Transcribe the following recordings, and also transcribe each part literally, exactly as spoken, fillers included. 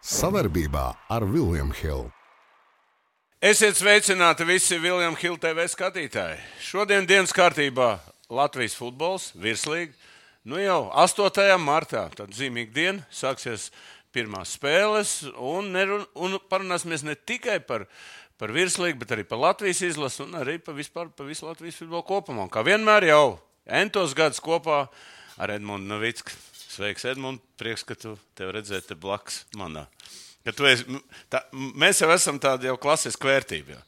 Savarbībā ar William Hill. Esiet sveicināti visi William Hill T V skatītāji. Šodien dienas kārtībā Latvijas futbols, virslīga. Nu jau astotajā martā, tad zīmīga diena, sāksies pirmās spēles. Un, nerun, un parunāsimies ne tikai par, par virslīgu, bet arī par Latvijas izlasu un arī par, vispār, par visu Latvijas futbolu kopumā. Kā vienmēr jau entos gadus kopā ar Edmundu Novicku. Sveiks, Edmund, prieks, ka tu tev redzēt te blakus manā. Ka tu esi, tā, mēs jau esam tādi jau klasiska vērtība. Jau.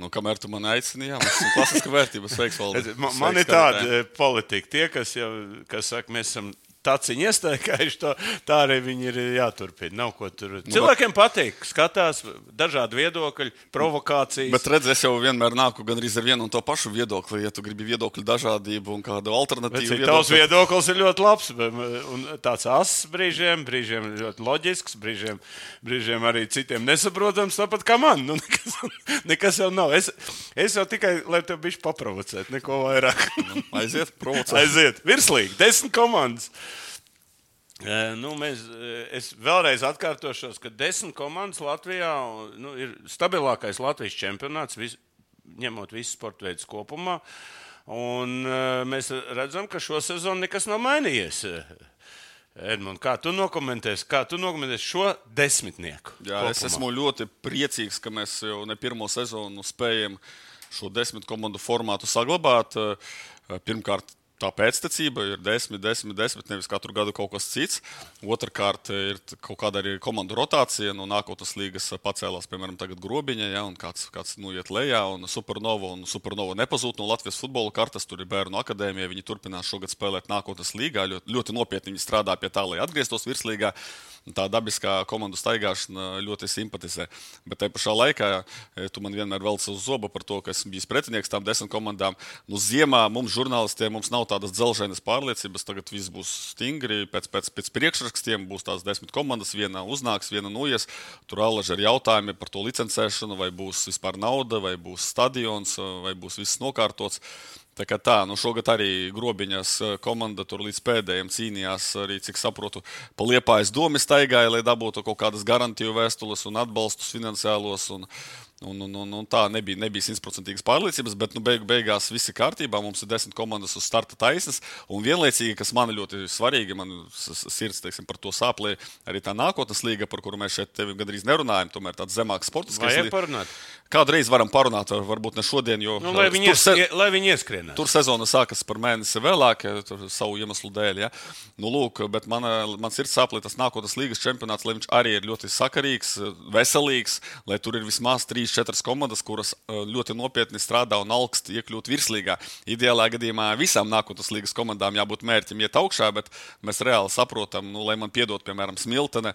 Nu, kamēr tu man aicini, jā, mēs esam klasiska vērtība. Sveiks, Valdi. Man, man ir tāda politika. Tie, kas jau, kas saka, mēs esam taciņi iestaigājuši, to, tā arī viņi ir jāturpina. Nav ko tur. Nu, cilvēkiem bet... patīk, skatās dažādi viedokļi, provokācijas. Bet redz, es jau vienmēr nāku gandrīz ar vienu un to pašu viedokli, ja tu gribi viedokļu dažādību un kādu alternatīvu viedokli. Tavs viedoklis ir ļoti labs un tāds ass brīžiem, brīžiem ļoti loģisks, brīžiem, brīžiem arī citiem nesaprotams, tāpat kā man. Nu, nekas, nekas jau nav. Es, es jau tikai, lai tev bišķi paprovocēt, neko vairāk. Aiziet, provocēt. Aiziet, virslīgi, desmit komandas. Nu, mēs, es vēlreiz atkārtošos, ka desmit komandas Latvijā nu, ir stabilākais Latvijas čempionāts, vis, ņemot visus sporta veidus kopumā. Un mēs redzam, ka šo sezonu nekas nav mainījies. Edmund, kā tu nokomentēsi, kā tu nokomentēsi šo desmitnieku? Jā, kopumā? Es esmu ļoti priecīgs, ka mēs jau ne pirmo sezonu spējam šo desmit komandu formātu saglabāt. Pirmkārt, tā pēctecība ir desmit, desmit, desmit, nevis katru gadu kaut kas cits. Otrkārt, ir kaut kāda arī komandu rotācija. No nākotnes līgas pacēlās, piemēram, tagad Grobiņa, ja, un kāds, kāds nu, iet lejā, un Supernova, un Supernova nepazūd no Latvijas futbola kartas. Tur ir bērnu akadēmija, viņi turpinās šogad spēlēt nākotnes līgā. Ļoti, ļoti nopietni viņi strādā pie tā, lai atgrieztos virslīgā. Tā dabiskā komandu staigāšana ļoti simpatizē. Bet tajā pašā laikā tu man vienmēr velc uz zobu par to, ka esmu bijis pretinieks tām desmit komandām. Nu, ziemā mums žurnālistiem mums nav tādas dzelžainas pārliecības. Tagad viss būs stingri, pēc, pēc, pēc priekšrakstiem būs tās desmit komandas, viena uznāks, viena noies. Tur allaži ir jautājumi par to licencēšanu, vai būs vispār nauda, vai būs stadions, vai būs viss nokārtots. Tā kā tā, nu šogad arī Grobiņas komanda tur līdz pēdējiem cīnījās, arī, cik saprotu, pa Liepājas domi staigāja, lai dabūtu kaut kādas garantiju vēstules un atbalstus finansiālos. Un, un, un, un, un tā nebija, nebija simtprocentīgas pārliecības, bet nu, beig, beigās viss ir kārtībā. Mums ir desmit komandas uz starta taisnas. Un vienlaicīgi, kas man ļoti svarīgi, man sirds teiksim, par to sāplē, arī tā nākotnes līga, par kuru mēs šeit tevi gandrīz nerunājam, tomēr tāds zemāks sportiskais līga. Vajag parunāt? Kādreiz varam parunāt, varbūt ne šodien, jo... Nu, lai viņi, se... ies, lai viņi ieskrienās. Tur sezona sākas par mēnesi vēlāk, savu iemeslu dēļ. Ja? Nu, lūk, bet man, man sirds sāplē tas nākotnes līgas čempionāts, lai viņš arī ir ļoti sakarīgs, veselīgs, lai tur ir vismaz trīs, četras komandas, kuras ļoti nopietni strādā un augst iekļūt virslīgā. Ideālā gadījumā visām nākotnes līgas komandām jābūt mērķim iet augšā, bet mēs reāli saprotam, nu, lai man piedot, piemēram, Smiltene,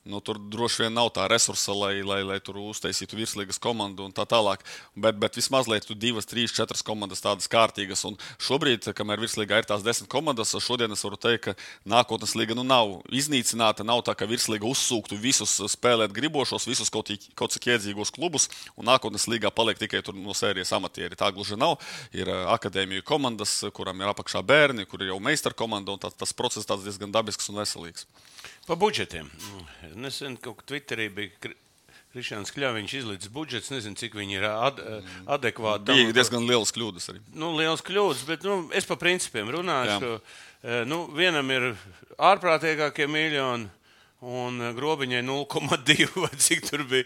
nu, tur droši vien nav tā resursa, lai, lai, lai tur uztaisītu virslīgas komandu un tā tālāk. Bet, bet vismaz, lai tu divas, trīs, četras komandas tādas kārtīgas. Un šobrīd, kamēr virslīgā ir tās desmit komandas, šodien es varu teikt, ka nākotnes līga nu, nav iznīcināta. Nav tā, ka virslīga uzsūktu visus spēlēt gribošos, visus kaut, kaut cik iedzīgos klubus. Un nākotnes līgā paliek tikai tur no sērijas amatieri. Tā gluži nav. Ir akadēmiju komandas, kuram ir apakšā bērni, kur ir jau meistar komanda. Un tā, tas process tāds diezgan dabisks un veselīgs. Pa budžetiem. Nesen kaut kā Twitterī bija Krišjāns Kļaviņš izlīdz budžets, nezinu, cik viņi ir ad, adekvāti. Bija diezgan lielas kļūdas arī. Nu, lielas kļūdas, bet nu, es pa principiem runāšu. Ka, nu, vienam ir ārprātīgākie miljoni un Grobiņai nulle komats divi vai cik tur bija.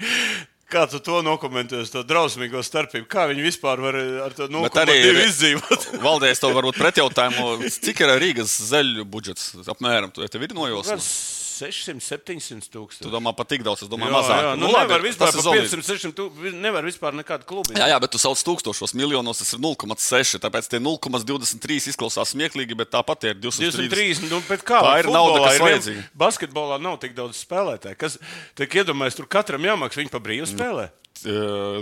Kā tu to nokomentēsi, to drausmīgo starpību? Kā viņi vispār var ar to nulle komats divi izdzīvot? Valdēs tev varbūt pretjautājumu, cik ir Rīgas zeļu budžets apmēram? Tev ir nojosma? sešsimt, septiņsimt tūkstoši. Tu domā pat tik daudz, es domāju jā, mazāk. Jā, nu, nu nevar vispār pa piecsimt, sešsimt tūkstoši, nevar vispār nekādu klubu. Jā, jā, bet tu sauc tūkstošos miljonos, tas ir nulle komats seši, tāpēc tie nulle komats divdesmit trīs izklausās smieklīgi, bet tāpat ir divsimt trīsdesmit. Nu, bet kā? Tā ir nauda, kas vajadzīga. Basketbolā nav tik daudz spēlētāju. Kas, tiek iedomājies, tur katram jāmaks, viņi pa brīvu spēlē.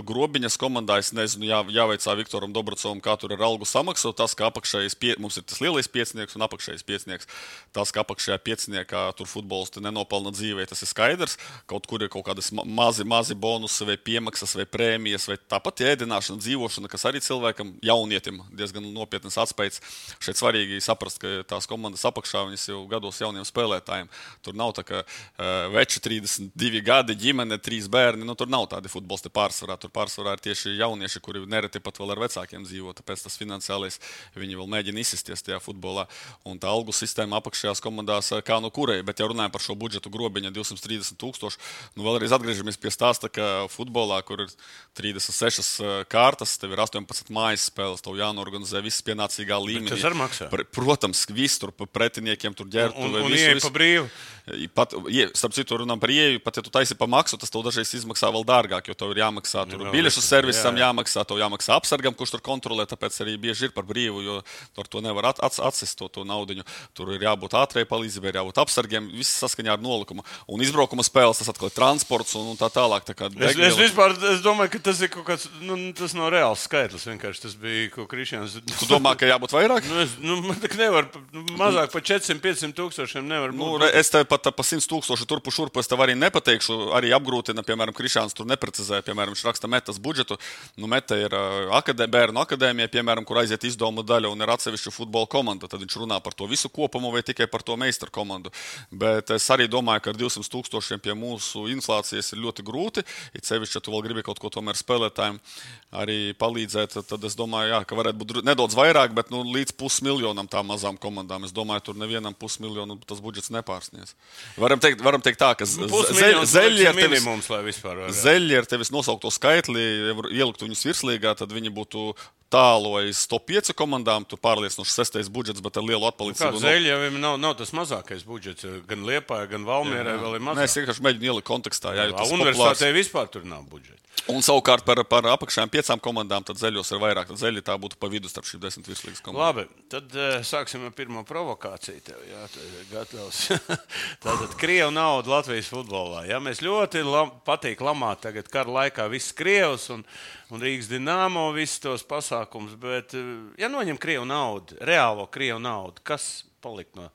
Grobiņas komandā, es nezinu, jā, jāveicā Viktoram Dobrocovam, kā tur ir algu samaksu. Tas, ka apakšējais, pie, mums ir tas lielais piecinieks un apakšējais piecinieks. Tas, ka apakšējā pieciniekā tur futbolisti nenopelna dzīvē, tas ir skaidrs. Kaut kur ir kaut kādas mazi, mazi bonusi vai piemaksas vai prēmijas vai tāpat ēdināšana, dzīvošana, kas arī cilvēkam, jaunietim, diezgan nopietnas atspējas. Šeit svarīgi saprast, ka tās komandas apakšā viņas jau gados jauniem spēlētājiem. Tur nav tā, ka uh, veči trīsdesmit divi gadi, ģimene, trīs bērni. Nu, tur nav tādi futbolisti pārsvarā. Tur pārsvarā ir tieši jaunieši, kuri nereti pat vēl ar vecākiem dzīvo. Tāpēc tas finansiālais viņi vēl mēģina izsisties tajā futbolā. Un tā algu sistēma apakšējās komandās kā no kurai. Bet, ja runājam par šo budžetu Grobiņa divsimt trīsdesmit tūkstoši, nu vēlreiz atgriežamies pie stāsta, ka futbolā, kur ir trīsdesmit sešas kārtas, tev ir astoņpadsmit mājas spēles, tev jānorganizē viss pienācīgā līmenī. Bet tas ar maksā? Protams, viss tur pretiniekiem tur ģērtu. Un, un, un ieeja pa brīvu? Pat, ja, starp citu, runām par ieeju, pat ja tu taisi pa maksu, tas tev dažreiz izmaksā vēl dārgāk, jo tev ir jāmaksā tur no, biļešu servisam, jā, jā. jāmaksā, tev jāmaksā apsargam, kurš tur kontrolē, tāpēc arī bieži ir par brīvu, jo ar to nevar at, at, atsist to, to naudiņu. Tur ir jābūt ātrēji palīdzībai, ir jābūt apsargiem, viss saskaņā ar nolikumu. Un izbraukuma spēles, tas atkal ir transports un, un tā tālāk. Tā kā es, es vispār es domāju, ka tas ir kaut kāds, nu, tas nav reāls skaitlis, vienkārši tas bija, ko Krišjāns... Tu domā, ka jābūt vairāk? Nu, es, nu, nevar, mazāk par četrsimt piecsimt tūkstošiem nevar būt. Nu, es tev pat pa simt tūkstoši turpu šurpu, es tev arī nepateikšu, arī apgrūtina, piemēram, Krišjāns tur neprecizē, piemēram, viņš raksta metas budžetu. Nu, meta ir akadē, bērnu akadēmija, piemēram, kur aiziet izdomu daļa un ir atsevišķa futbola komanda. Tad viņš runā par to visu kopumu vai tikai par to meistaru komandu. Bet es arī domāju, ka ar divsimt tūkstošiem pie mūsu inflācijas ir ļoti grūti. It sevišķi, ja tu vēl gribi kaut ko tomēr spēlētājiem arī palīdzēt, tad es domāju, jā, ka varētu būt nedaudz vairāk, bet nu, līdz pusmiljonam tām mazām komandām. Es domāju, tur nevienam pusmiljonu tas budžets nepārsnies. Varam teikt, varam teikt tā, ka zeļi ar tevis, zeļi ar tevis nosaukto skaitli, ja ieliktu viņus virslīgā, tad viņi būtu tālu aiz top pieci komandām, tur pārliecinoši sestais budžets, bet ar lielu atpalicību. Kā zeļi jau nav, nav tas mazākais budžets, gan Liepāja, gan Valmierai vēl ir mazāk. Nē, es vienkārši mēģinu ielikt kontekstā. Jā, jā, universitātē vispār tur nav budžeta. Un savukārt par, par apakšējām piecām komandām, tad zeļos ir vairāk. Tad zeļi tā būtu pa vidu starp šīm desmit virslīgas komandām. Labi, tad uh, sāksim ar pirmo provokāciju tev. Jā, gatavs. Tātad Krievu nauda Latvijas futbolā. Jā, mēs ļoti lam, patīk lamāt tagad kara laikā viss Krievs un, un Rīgas Dinamo, visus tos pasākums. Bet, uh, ja noņem Krievu naudu, reālo Krievu naudu, kas paliek no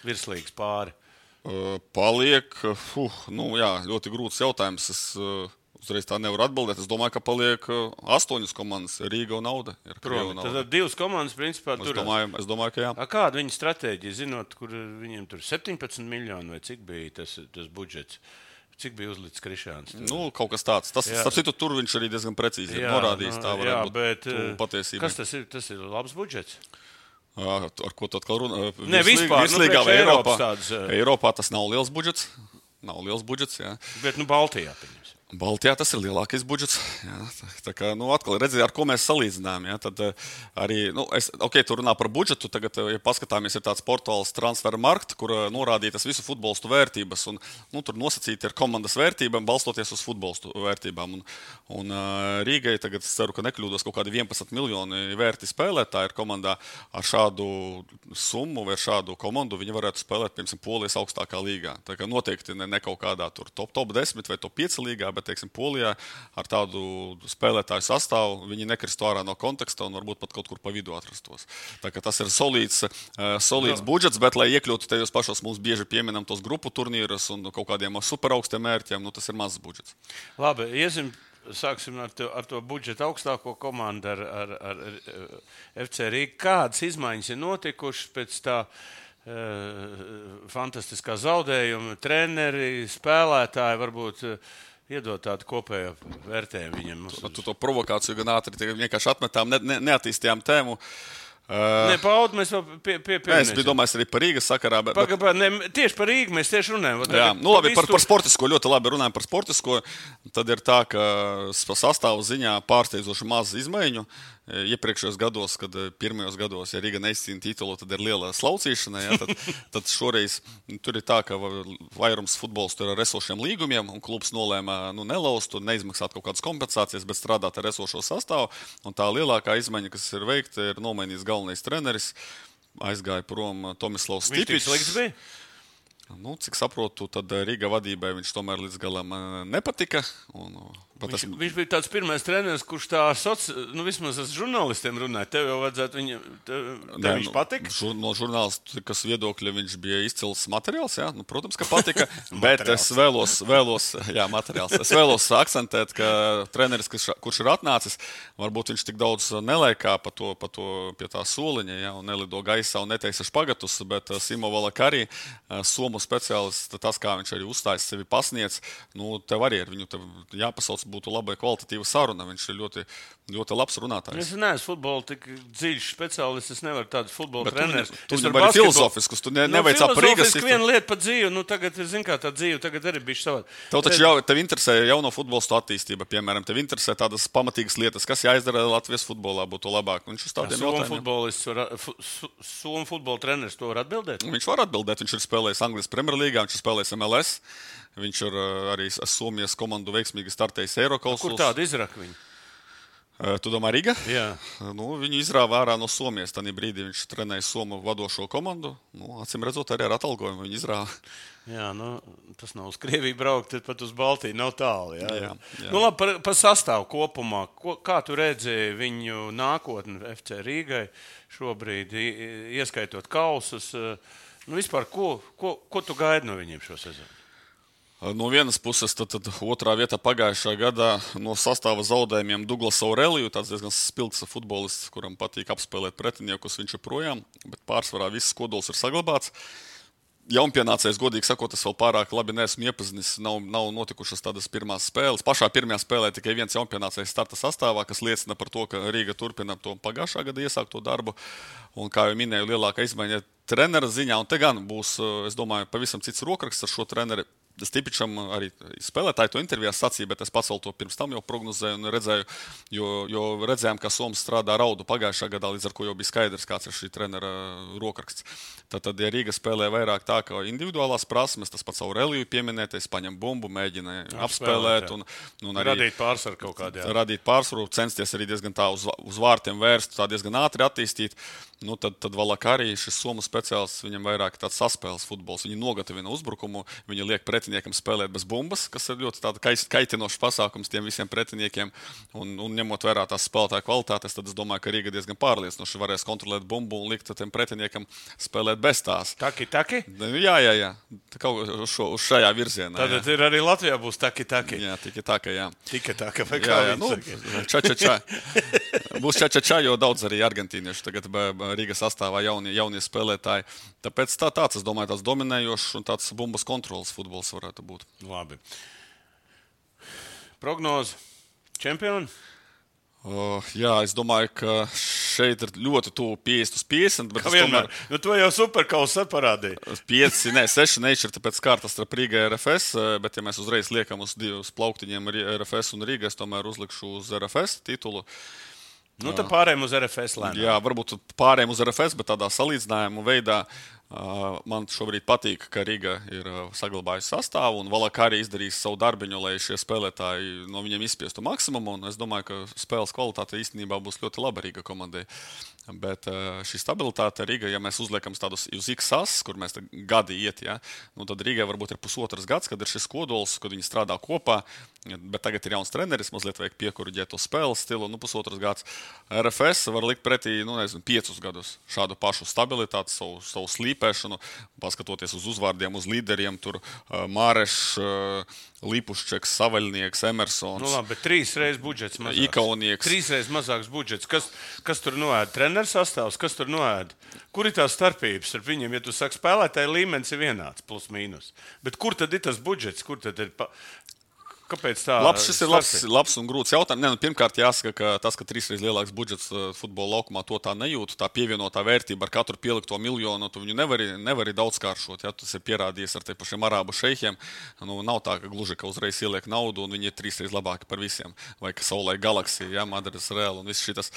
virslīgas pāri? Uh, paliek, uh, nu jā, ļoti grūts jautājums. Es, uh, Uzreiz tā nevar atbildēt. Es domāju, ka paliek astoņas komandas. Rīga un Nauda. Protams, tad divas komandas principā tur. Es domāju, es domāju, ka jā. A, kāda viņa stratēģija, zinot, kur viņiem tur septiņpadsmit miljoni vai cik bija tas, tas budžets? Cik bija uzlicis Krišjāns? Nu, kaut kas tāds. Tas, starp citu, tur viņš arī diezgan precīzi ir norādījis. Tā varētu jā, būt bet, patiesība. Kas tas ir? Tas ir labs budžets? Ar ko tu atkal runā? Ne, vispār. Virslīgā nu, Eiropā. Tāds, Eiropā tas nav liels budžets. Nav liels budžets, jā. Bet, nu, Baltijā, pieņems. Baltijā tas ir lielākais budžets. Jā, tā, tā kā, nu, atkal redziet, ar ko mēs salīdzinām. Jā, tad arī, nu, es, ok, tu runā par budžetu, tagad, ja paskatāmies, ir tāds portāls Transfermarkt, kur norādītas visu futbolistu vērtības, un, nu, tur nosacīti ir komandas vērtībām, balstoties uz futbolistu vērtībām. Un, un Rīgai tagad, es ceru, ka nekļūdos, kaut kādi vienpadsmit miljoni vērti spēlētāji ir komandā ar šādu summu vai šādu komandu, viņi varētu spēlēt, piemēram, Polijas augstākā līgā. Tā kā noteikti ne, ne kaut kādā tur top, top desmit vai top pieci līgā, bet, teiksim, Polijā ar tādu spēlētāju sastāvu viņi nekristu ārā no konteksta un varbūt pat kaut kur pa vidu atrastos. Tā kā tas ir solīds, uh, solīds budžets, bet, lai iekļūtu tajos pašos mums bieži pieminam tos grupu turnīrus un kaut kādiem superaugstiem mērķiem, nu tas ir mazs budžets. Labi, iesim, sāksim ar to, ar to budžetu augstāko komandu ar, ar, ar, ar F C Rīga. Kādas izmaiņas ir notikušas pēc tā uh, fantastiskā zaudējuma? Treneri, spēlētāji varbūt uh, iedot tādu kopējo vērtējumu viņam. Tu, tu to provokāciju gan ātri vienkārši atmetām, ne, ne, neattīstījām tēmu. Uh, ne, Paudu mēs vēl pie, pie, pie es biju domājis arī par Rīgas sakarā. Bet, Paga, bet... ne, tieši par Rīgu mēs tieši runājam. Jā, nu labi, par, par sportisko, ļoti labi runājam par sportisko. Tad ir tā, ka sastāvu ziņā pārsteidzoši maz izmaiņu. Iepriekšējos gados, kad pirmajos gados, ja Rīga neizcīna titulu, tad ir liela slaucīšana. Ja, tad, tad šoreiz tur ir tā, ka vairums futbolistu ir ar esošiem līgumiem, un klubs nolēma nu, nelaust un neizmaksāt kaut kādas kompensācijas, bet strādāt ar esošo sastāvu. Un tā lielākā izmaiņa, kas ir veikta, ir nomainījis galvenais treneris. Aizgāja prom Tomislavs Stipičs. Viņš tik slikts bija? Nu, cik saprotu, tad Rīga vadībai viņš tomēr līdz galam nepatika. Un Viņš, esmu... viņš bija tāds pirmais treneris, kurš tā soci... nu, vismaz ar žurnālistiem runāja. Tev jau vajadzētu viņu, tev, tev Nē, viņš patika? Žur, no žurnālistikas viedokļa viņš bija izcils materiāls, jā, nu, protams, ka patika, bet es vēlos, vēlos, jā, materiāls. Es vēlos akcentēt, ka treneris, kurš, kurš ir atnācis, varbūt viņš tik daudz neliekā pa to, pa to pie tā soliņa, jā, un nelido gaisā un neteisa špagatus, bet Simo Valakarī, somu speciālists, tas, kā viņš arī uzstājas, sevi pasniedz, nu, tev arī ar viņu tev jāpasauc, būtu labai kvalitatīva saruna. Viņš ir ļoti, ļoti labs runātājs. Es neesmu futbola tik dziļš speciālists, es nevaru tādu futbola treneris. Tu, tu viņam arī filozofiskus, tu ne, nu, neveicā par Rīgas. Filozofisku vienu lietu par dzīvi, nu tagad, zin kā tā dzīve, tagad arī bišķi savādi. Tev taču jau, tev interesē jauno futbolistu attīstība, piemēram, tev interesē tādas pamatīgas lietas, kas jāizdara Latvijas futbolā, būtu labāk. Viņš uz tādiem jautājumiem. Somu futbola treneris to var atbildēt? Viņš var atbildēt, viņš ir spēlējis Anglijas Premjerlīgā, viņš ir spēlējis M L S. Viņš ir arī Somijas komandu veiksmīgi startējis Eirokausos. Kur tādu izraka viņu? Tu domā Riga? Jā. Nu, viņu izrāva ārā no Somijas. Tanī brīdī viņš trenēja Somu vadošo komandu. Nu, acīm redzot, arī ar atalgojumu viņu izrāva. Jā, nu, tas nav uz Krieviju braukt, tad pat uz Baltiju nav tālu. Jā, jā, jā. Nu, labi, par, par sastāvu kopumā. Ko, kā tu redzēji viņu nākotni F C Rīgai šobrīd, ieskaitot kausus? Nu, vispār, ko, ko, ko tu gaidi no viņiem šo sezonu? No vienas puses, tad, tad otrā vietā pagājušā gadā no sastāva zaudējumiem Douglas Aureliju, tāds diezgan spilgts futbolists, kuram patīk apspēlēt pretiniekus, viņš ir projām, bet pārsvarā viss kodols ir saglabāts. Jaunpienācējs, godīgi sakot, es vēl pārāk labi neesmu iepazinis, nav, nav notikušas tādas pirmās spēles. Pašā pirmajā spēlē tikai viens jaunpienācējs starta sastāvā, kas liecina par to, ka Rīga turpina to pagājušā gada iesākto darbu. Un, kā jau minēju, lielākā izmaiņa trenera ziņā, un te gan būs, es domāju, pavisam cits rokraksts ar šo treneri. Stipičam arī spēlētāji to intervijā sacīja, bet es pats vēl to pirms tam jau prognozēju un redzēju, jo, jo redzējām, ka Soms strādā raudu pagājušā gadā, līdz ar ko jau bija skaidrs, kāds ir šī trenera rokraksts. Tad, tad ja Rīga spēlē vairāk tā, ka individuālās prasmes, tas pats Aureliju pieminētais, paņem bumbu, mēģina apspēlēt un, un arī radīt pārsvaru kaut kādā. Radīt pārsvaru, censties arī diezgan tā uz, uz vārtiem vērst, tā diezgan ātri attīstīt. Nu, tad, tad Valakarī šis somu speciālists, viņam vairāk tāds saspēles futbols. Viņi nogatavina uzbrukumu, viņi liek pretiniekam spēlēt bez bumbas, kas ir ļoti tāda kaitinošs pasākums tiem visiem pretiniekiem. Un, un ņemot vērā tās spēlētāju kvalitātes, tad es domāju, ka Rīga diezgan pārliecinoši varēs kontrolēt bumbu un likt tiem pretiniekam spēlēt bez tās. Taki, taki? Jā, jā, jā. Kaut uz, šo, uz šajā virzienā. Tātad jā. Ir arī Latvijā būs taki, taki. Jā, tiki taka, jā. Tika taka, vai kā jā, jā, nu, ča, ča, ča. Būs ča, ča, ča, jo daudz arī argentīnieši tagad Rīgas sastāvā jaunie, jaunie spēlētāji. Tāpēc tā, tāds, es domāju, tāds dominējošs un tāds bumbas kontrolas futbols varētu būt. Labi. Prognoze. Čempioni? Uh, jā, es domāju, ka šeit ir ļoti tuvu piecdesmit uz piecdesmit. Bet es tomēr... Nu, to jau superkausa parādīja. pieci, ne, seši nešķirta pēc kārtas starp Rīgai un R F S, bet ja mēs uzreiz liekam uz divus plauktiņiem R F S un Rīgai, es tomēr uzlikšu uz R F S titulu. Nu, tad pārējiem uz R F S lēnām. Jā, varbūt pārējiem uz R F S, bet tādā salīdzinājuma veidā uh, man šobrīd patīk, ka Riga ir uh, saglabājusi sastāvu un Valakarī izdarījis savu darbiņu, lai šie spēlētāji no viņiem izspiestu maksimumu. Un es domāju, ka spēles kvalitāte īstenībā būs ļoti laba Riga komandai. Bet uh, šī stabilitāte Riga, ja mēs uzliekam tādus uz X as, kur mēs gadi iet, ja, nu tad Rigai varbūt ir pusotras gads, kad ir šis kodols, kad viņi strādā kopā. Bet tagad ir jauns treneris, mazliet vajag piekuriģēt to spēles stilu, nu pusotras gads. R F S var likt pretī, nu nezinu, piecus gadus šādu pašu stabilitāti, savu, savu slīpēšanu, paskatoties uz uzvārdiem, uz līderiem, tur uh, Māreš, uh, Lipuščeks, Savaļnieks, Emersons. Nu labi, bet trīs reizes budžets mazāks. Ikaunieks. Trīs reizes mazāks budžets. Kas, kas tur noēd? Treneris sastāvs, kas tur noēd? Kur ir tās starpības starp viņiem? Ja tu saki, spēlētāji līmenis ir vienāds, plus mīnus. Bet kur tad ir tas budžets? Kur tad ir... Pa... Kāpēc tā? Labs, šis ir labs, labs un grūts jautājums. Ne, nu, pirmkārt, jāsaka, ka tas, ka trīsreiz lielāks budžets futbola laukumā, to tā nejūt. Tā pievienotā vērtība ar katru pielikto miljonu, tu viņu nevari, nevari daudzkāršot. Ja? Tas ir pierādījies ar te pašiem arābu šeikiem. Nu, nav tā, ka gluži, ka uzreiz ieliek naudu un viņi ir trīsreiz labāki par visiem. Vai ka Saulē Galaxija, ja? Madras Real un viss šitas.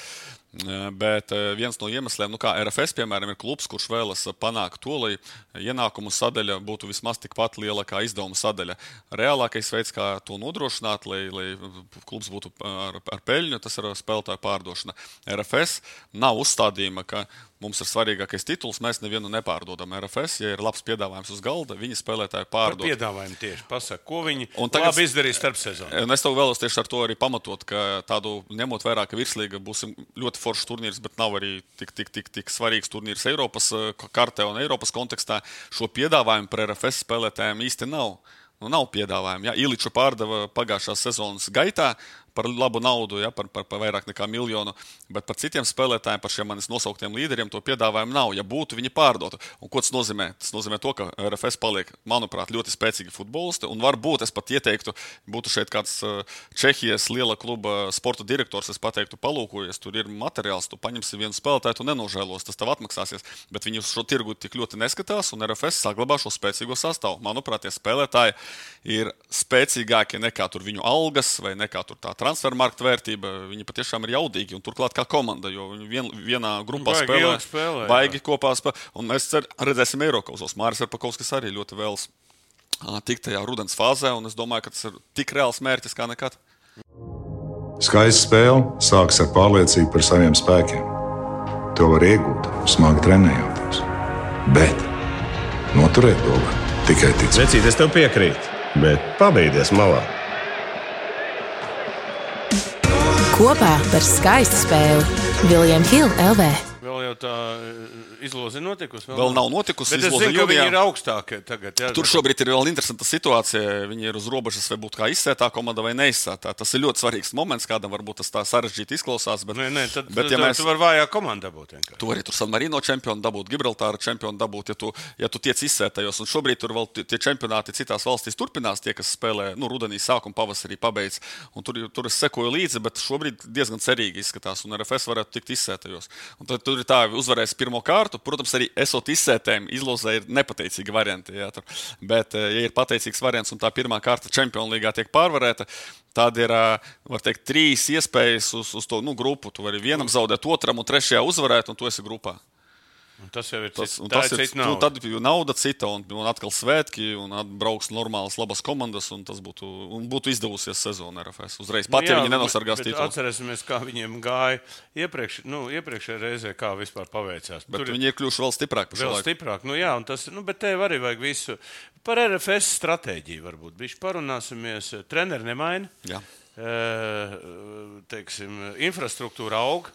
Bet viens no iemesliem, nu kā R F S, piemēram, ir klubs, kurš vēlas panākt to, lai ienākumu sadaļa būtu vismaz tikpat liela kā izdevuma sadaļa. Reālākais veids, kā to nodrošināt, lai, lai klubs būtu ar, ar peļņu, tas ir spēlētāju pārdošana. R F S nav uzstādījuma, ka mums ir svarīgākais tituls, mēs nevienu nepārdodam. R F S, ja ir labs piedāvājums uz galda, viņi spēlētāju pārdod. Par piedāvājumu tieši pasaka, ko viņi tagad, labi izdarīja starp sezonu. Un es tev vēlos tieši ar to arī pamatot, ka tādu ņemot vērā, ka virslīga būs ļoti foršs turnīrs, bet nav arī tik, tik, tik, tik svarīgs turnīrs Eiropas kartē un Eiropas kontekstā. Šo piedāvājumu par R F S spēlētājiem īsti nav. Nu, nav piedāvājumu. Ja? Iliču pārdeva pagājušās sezonas gaitā par labu naudu, ja? par, par, par vairāk nekā miljonu, bet par citiem spēlētājiem, par šiem manis nosauktiem līderiem, to piedāvājumu nav. Ja būtu, viņi pārdotu. Un ko tas nozīmē? Tas nozīmē to, ka R F S paliek, manuprāt, ļoti spēcīgi futbolisti, un varbūt es pat ieteiktu, būtu šeit kāds Čehijas liela kluba sporta direktors, es pateiktu, palūkojies, tur ir materiāls, tu paņemsi vienu spēlētāju, tu nenožēlos, tas tev atmaksāsies, bet viņi uz šo tirgu tik ļoti neskatās, un R F S saglabā šo spēcīgo sastāvu. Manuprāt, tie spēlētāji ir spēcīgāki nekā tur viņu algas vai nekā tur tā transfermarkta vērtība, viņi patiešām ir jaudīgi un turklāt kā komanda, jo viņi vien, vienā grupā baigi spēlē, spēlē baigi kopā spēlē, un mēs cer, redzēsim Eirokauzos. Māris Verpakovskis arī ļoti vēlas tikt tajā rudens fāzē, un es domāju, ka tas ir tik reāls mērķis kā nekad. Skaista spēle sākas ar pārliecību par saviem spēkiem. To var iegūt, smagi trenējoties. Bet noturēt to var tikai ticēt. Vecīt, es tev piekrītu, bet pabeigties malā. Kopā par skaistu spēli William Hill L V. Vēl jau tā izloze notikusi? Vēl, vēl nav notikusi. Bet es zinu, ka viņi ir augstākie tagad. Jā, tur šobrīd ir vēl interesanta situācija. Viņi ir uz robežas, vai būtu kā izsētā komanda vai neizsētā. Tas ir ļoti svarīgs moments, kādam varbūt tas tā sarežģīti izklausās. Bet, nē, nē, tad, bet, ja tad mēs... tu vari vājā komanda dabūt. Vienkārši. Tu vari tur San Marino čempionu dabūt, Gibraltāra čempionu dabūt, ja tu, ja tu tiec izsētajos. Un šobrīd tur vēl tie čempionāti citās valstīs turpinās, tie, kas spēlē nu, rudenī sākumu, pavasarī pabeidz. Un tur, tur es sekoju līdzi, bet šobrīd diezgan cerīgi izskatās. Un R F S varētu tikt izsētajos. Un tad tur ir tā, uzvarēs pirmo kārtu. Protams, arī esot izsētēm, izlozē ir nepateicīgi varianti. Jā, tur. Bet, ja ir pateicīgs variants un tā pirmā kārta Čempionu līgā tiek pārvarēta, tad ir, var teikt, trīs iespējas uz, uz to nu, grupu. Tu vari vienam zaudēt, otram un trešajā uzvarēt, un tu esi grupā. Un tas jau ir tas, cita, tas ir ir, cita nauda. Nu, tad ir nauda cita, un, un atkal svētki, un atbrauks normālas, labas komandas, un tas būtu, un būtu izdevusies sezona R F S. Uzreiz pat, nu, jā, ja viņi nenosargās titulu. Atcerēsimies, kā viņiem gāja iepriekš, nu, iepriekšējā reizē, kā vispār paveicās. Bet Tur viņi ir kļuvuši vēl stiprāki. Vēl stiprāk, nu jā, un tas, nu, bet tev arī vajag visu. Par R F S stratēģiju varbūt. Bišķi parunāsimies, treneri nemaina. Jā. E, teiksim, infrastruktūra aug.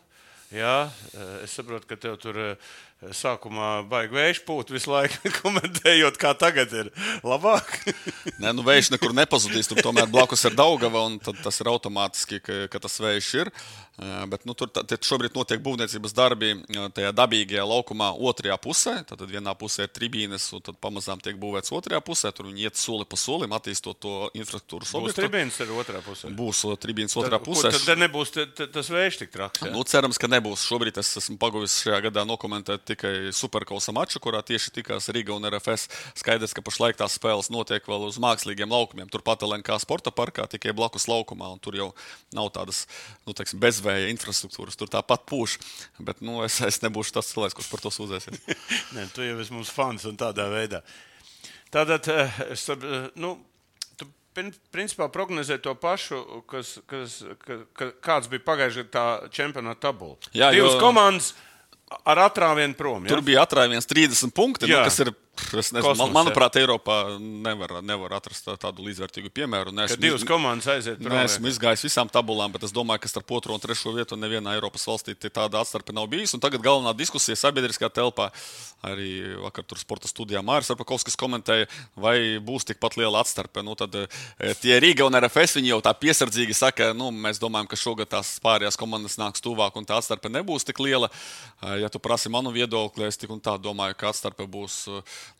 Jā, es saprotu, ka tev tur sākumā baigi vējš pūt visu laiku, komentējot, kā tagad ir labāk. Nē, nu vējš nekur nepazudīs, tur tomēr blakus ir Daugava, un tad tas ir automātiski, ka, ka tas vējš ir. Bet nu, tur šobrīd notiek būvniecības darbi tajā dabīgajā laukumā otrajā pusē. Tad vienā pusē ir tribīnes, un tad pamazām tiek būvēts otrajā pusē. Tur viņi iet soli pa solim, attīstot to infrastruktūras objektu. Būs tribīnes arī otrā pusē? Būs tribīnes otrā pusē. Tad, tad nebūs t, t, tas vējš tik traks, jā? Nu, cerams, ka nebūs. Šobrīd es esmu paguvis šajā gadā nokomentēt tikai Superkausa maču, kurā tieši tikās Riga un R F S. Skaidrs, ka pašlaik tās spēles notiek vēl uz mākslīgiem laukumiem. Turpat L N K sporta parkā, tikai blakus laukumā, un tur jau nav tādas, nu, teiksim, bezvēja infrastruktūras. Tur tāpat pūš, bet, nu, es, es nebūšu tas cilvēks, kurš par to sūdzēsies. Nē, tu jau esi mums fans un tādā veidā. Tātad, es, nu, tu principā prognozē to pašu, kas, kas, ka, kāds bija pagājušajā tā čempionāta tabula. Jā, Divas jo... komandas ar atrāvienu prom, ja? Tur bija atrāviens trīsdesmit punkti, nu, kas ir, es nezinu, Kosmos, man, manuprāt, Eiropā nevar, nevar atrast tādu līdzvērtīgu piemēru. Ka divas komandas aiziet prom. Esmu izgājis visām tabulām, bet es domāju, ka starp otro un trešo vietu nevienā Eiropas valstī tāda atstarpe nav bijis. Un tagad galvenā diskusija sabiedriskā telpā, arī vakar tur sporta studijā Māris Verpakovskis komentēja, vai būs tikpat liela atstarpe. Nu, tad tie Riga un R F S, viņi jau tā piesardzīgi saka, nu, mēs domājam, ka šogad tās pārējās komandas nāks tuvāk un tā atstarpe nebūs tik liela. Ja tu prasi manu viedokli, es tik un tā domāju, ka atstarpe būs,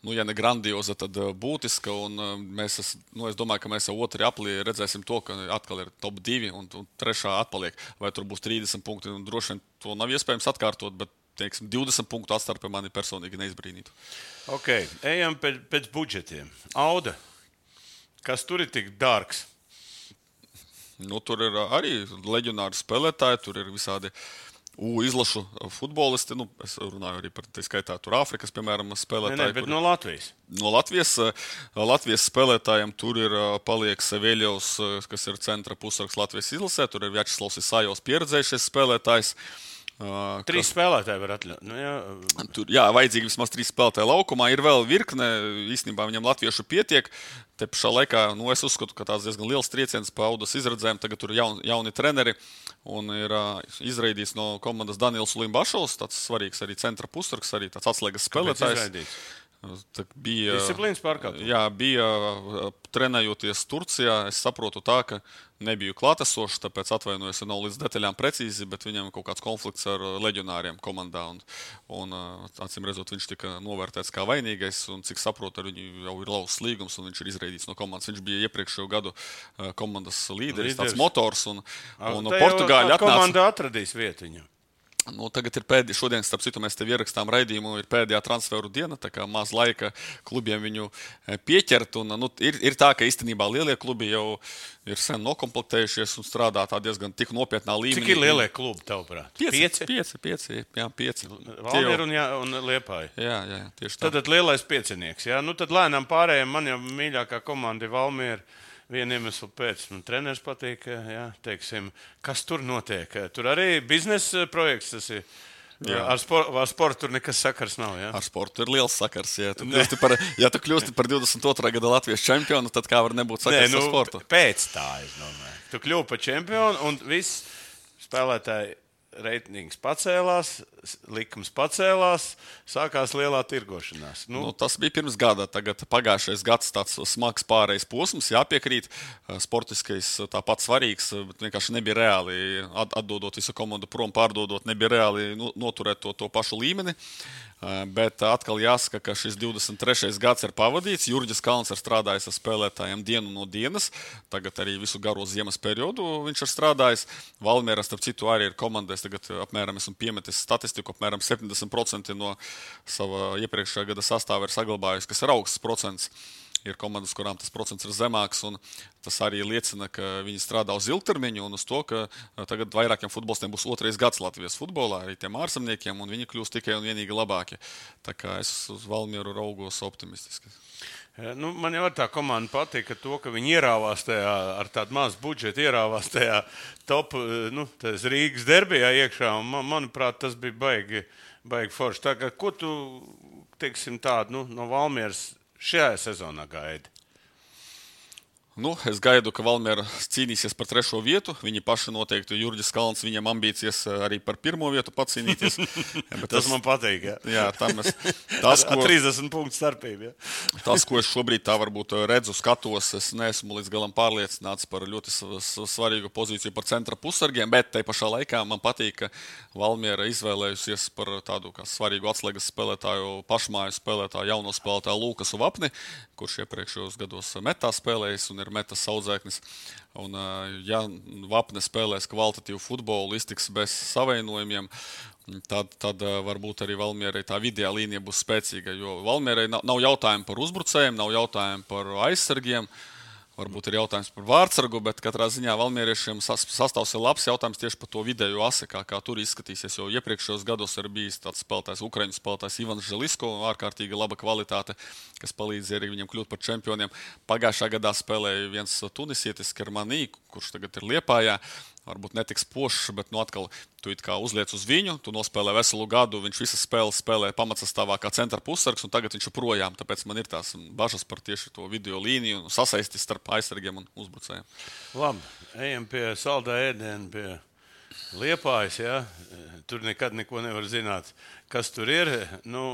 nu, ja ne grandioza, tad būtiska. Un mēs, es, nu, es domāju, ka mēs jau otri aplī redzēsim to, ka atkal ir top divi un, un trešā atpaliek. Vai tur būs trīsdesmit punkti, un droši vien to nav iespējams atkārtot, bet, teiksim, divdesmit punktu atstarpe mani personīgi neizbrīnītu. Ok, ejam pēc, pēc budžetiem. Auda, kas tur ir tik dārgs? Nu, tur ir arī leģionāri spēlētāji, tur ir visādi U izlašu futbolisti. Nu, es runāju arī par tā skaitā tur Āfrikas, piemēram, spēlētāji. Nē, nē, bet kur... no Latvijas. No Latvijas, Latvijas spēlētājiem tur ir paliek Seveļovs, kas ir centra pusargs Latvijas izlasē. Tur ir Vjačeslavs Isājovs pieredzējušies spēlētājs. Uh, trīs kas... spēlētāji var atļaut. Nu, jā. Tur, jā, vajadzīgi vismaz trīs spēlētāji laukumā. Ir vēl virkne, īstenībā viņam latviešu pietiek. Te pašā laikā, nu, es uzskatu, ka tāds diezgan liels trieciens pa Audas izredzēm. Tagad tur ir jauni, jauni treneri un ir uh, izraidīts no komandas Daniels Limbašovs, tāds svarīgs arī centra pusargs, arī tāds atslēgas spēlētājs. Bija, disciplīnas pārkāpums. Jā, bija trenējoties Turcijā. Es saprotu tā, ka nebiju klātesošs, tāpēc atvainojos, ja nav līdz detaļām precīzi, bet viņam kaut kāds konflikts ar leģionāriem komandā. Un, un acīm redzot, viņš tika novērtēts kā vainīgais, un cik saprotu, ar viņu jau ir lausts līgums, un viņš ir izraidīts no komandas. Viņš bija iepriekšējo gadu komandas līderis, tāds motors, un, un Portugāļi atnāca. Komanda atradīs vietu viņam. Nu, tagad ir pēdējā, šodien, starp citu, mēs tev ierakstām raidījumu, ir pēdējā transferu diena, tā kā maz laika klubiem viņu pieķert. Un, nu, ir, ir tā, ka īstenībā lielie klubi jau ir sen nokomplektējušies un strādā tā diezgan tik nopietnā līmenī. Cik ir lielie klubi, tavuprāt? Pieci? Pieci, pieci, jā, pieci. Valmiera un, jā, un Liepāja. Jā, jā, tieši tā. Tad lielais piecinieks, jā. Nu, tad lēnām pārējiem, man jau mīļākā komanda ir Valmiera. Vienu iemeslu pēc, nu, treneris patīk, jā, teiksim, kas tur notiek. Tur arī biznesa projekts tas ir. Jā. Ar, spor, ar sportu tur nekas sakars nav, jā? Ar sportu ir liels sakars, ja tu kļūsti par, ja tu kļūsti par divdesmit otrā gada Latvijas čempionu, tad kā var nebūt sakars Nē, nu, ar sportu? Pēc tā, es domāju. Tu kļūpi par čempionu un viss spēlētāji reitings pacēlās, likums pacēlās, sākās lielā tirgošanās. Nu. Nu, tas bija pirms gada. Tagad pagājušais gads tāds smags pārējais posms, jāpiekrīt. Sportiskais tāpat svarīgs, bet vienkārši nebija reāli atdodot visu komandu prom, pārdodot, nebija reāli noturēt to, to pašu līmeni. Bet atkal jāsaka, ka šis divdesmit trešais gads ir pavadīts. Jurģis Kalns ir strādājis ar spēlētājiem dienu no dienas. Tagad arī visu garo ziemas periodu viņš ir strādājis. Valmiera, starp citu, arī ir komandais. Tagad apmēram esmu piemetis statistiku. Apmēram septiņdesmit procenti no sava iepriekšējā gada sastāva ir saglabājis, kas ir augsts procents. Ir komandas, kurām tas procents ir zemāks, un tas arī liecina, ka viņi strādā uz ilgtermiņu un uz to, ka tagad vairākiem futbolistiem būs otrais gads Latvijas futbolā, arī tiem ārzemniekiem, un viņi kļūst tikai un vienīgi labāki. Tā kā es uz Valmieru raugos optimistiski. Nu, man jau ar tā komanda patīk, ka to, ka viņi ierāvās tajā, ar tādu mazu budžetu, ierāvās tajā top, nu, tas Rīgas derbijā iekšā, un man, manuprāt, tas bija baigi, baigi forši. Tā kā, ko tu, teiksim tādu, nu, no Valmieras šajā sezonā gaidi? Nu, es gaidu, ka Valmiera cīnīsies par trešo vietu. Viņi paši noteikti, Jurģis Kalns, viņam ambīcijas arī par pirmo vietu pacīnīties. tas, tas man patīk, jā. Jā, tam es... Tas, ko, trīsdesmit punktu starpība, jā. Tas, ko es šobrīd tā varbūt redzu, skatos, es neesmu līdz galam pārliecināts par ļoti svarīgu pozīciju par centra pusargiem, bet tai pašā laikā man patīk, ka Valmiera izvēlējusies par tādu kā svarīgu atslēgas spēlētāju, pašmāju spēlētāju, jauno spēlētāju Lūkasu Vapni, kurš iepriekšējos gados metā spēlējis un ir metas saudzēknis. Un, ja Vapne spēlēs kvalitatīvu futbolu, iztiks bez savainojumiem, tad, tad varbūt arī Valmierai tā vidējā līnija būs spēcīga. Jo Valmierai nav, nav jautājumu par uzbrucējiem, nav jautājumu par aizsargiem. Varbūt ir jautājums par vārdsargu, bet katrā ziņā valmieriešiem sastāvs ir labs jautājums tieši par to vidējo asi, kā, kā tur izskatīsies. Jo iepriekšējos gados ir bijis tāds spēlētājs, Ukraiņu spēlētājs Ivans Želisko, ārkārtīgi laba kvalitāte, kas palīdzēja arī viņam kļūt par čempioniem. Pagājušā gadā spēlēja viens tunisietis Kermanī, kurš tagad ir Liepājā. Varbūt netiks pošs, bet nu atkal tu it kā uzliec uz viņu, tu nospēlē veselu gadu, viņš visas spēles spēlē pamatsastāvā kā centra pussargs, un tagad viņš ir projām. Tāpēc man ir tās bažas par tieši to video līniju un sasaisti starp aizsargiem un uzbrucējiem. Labi, ejam pie saldā ēdiena, pie Liepājas, jā. Tur nekad neko nevar zināt, kas tur ir. Nu,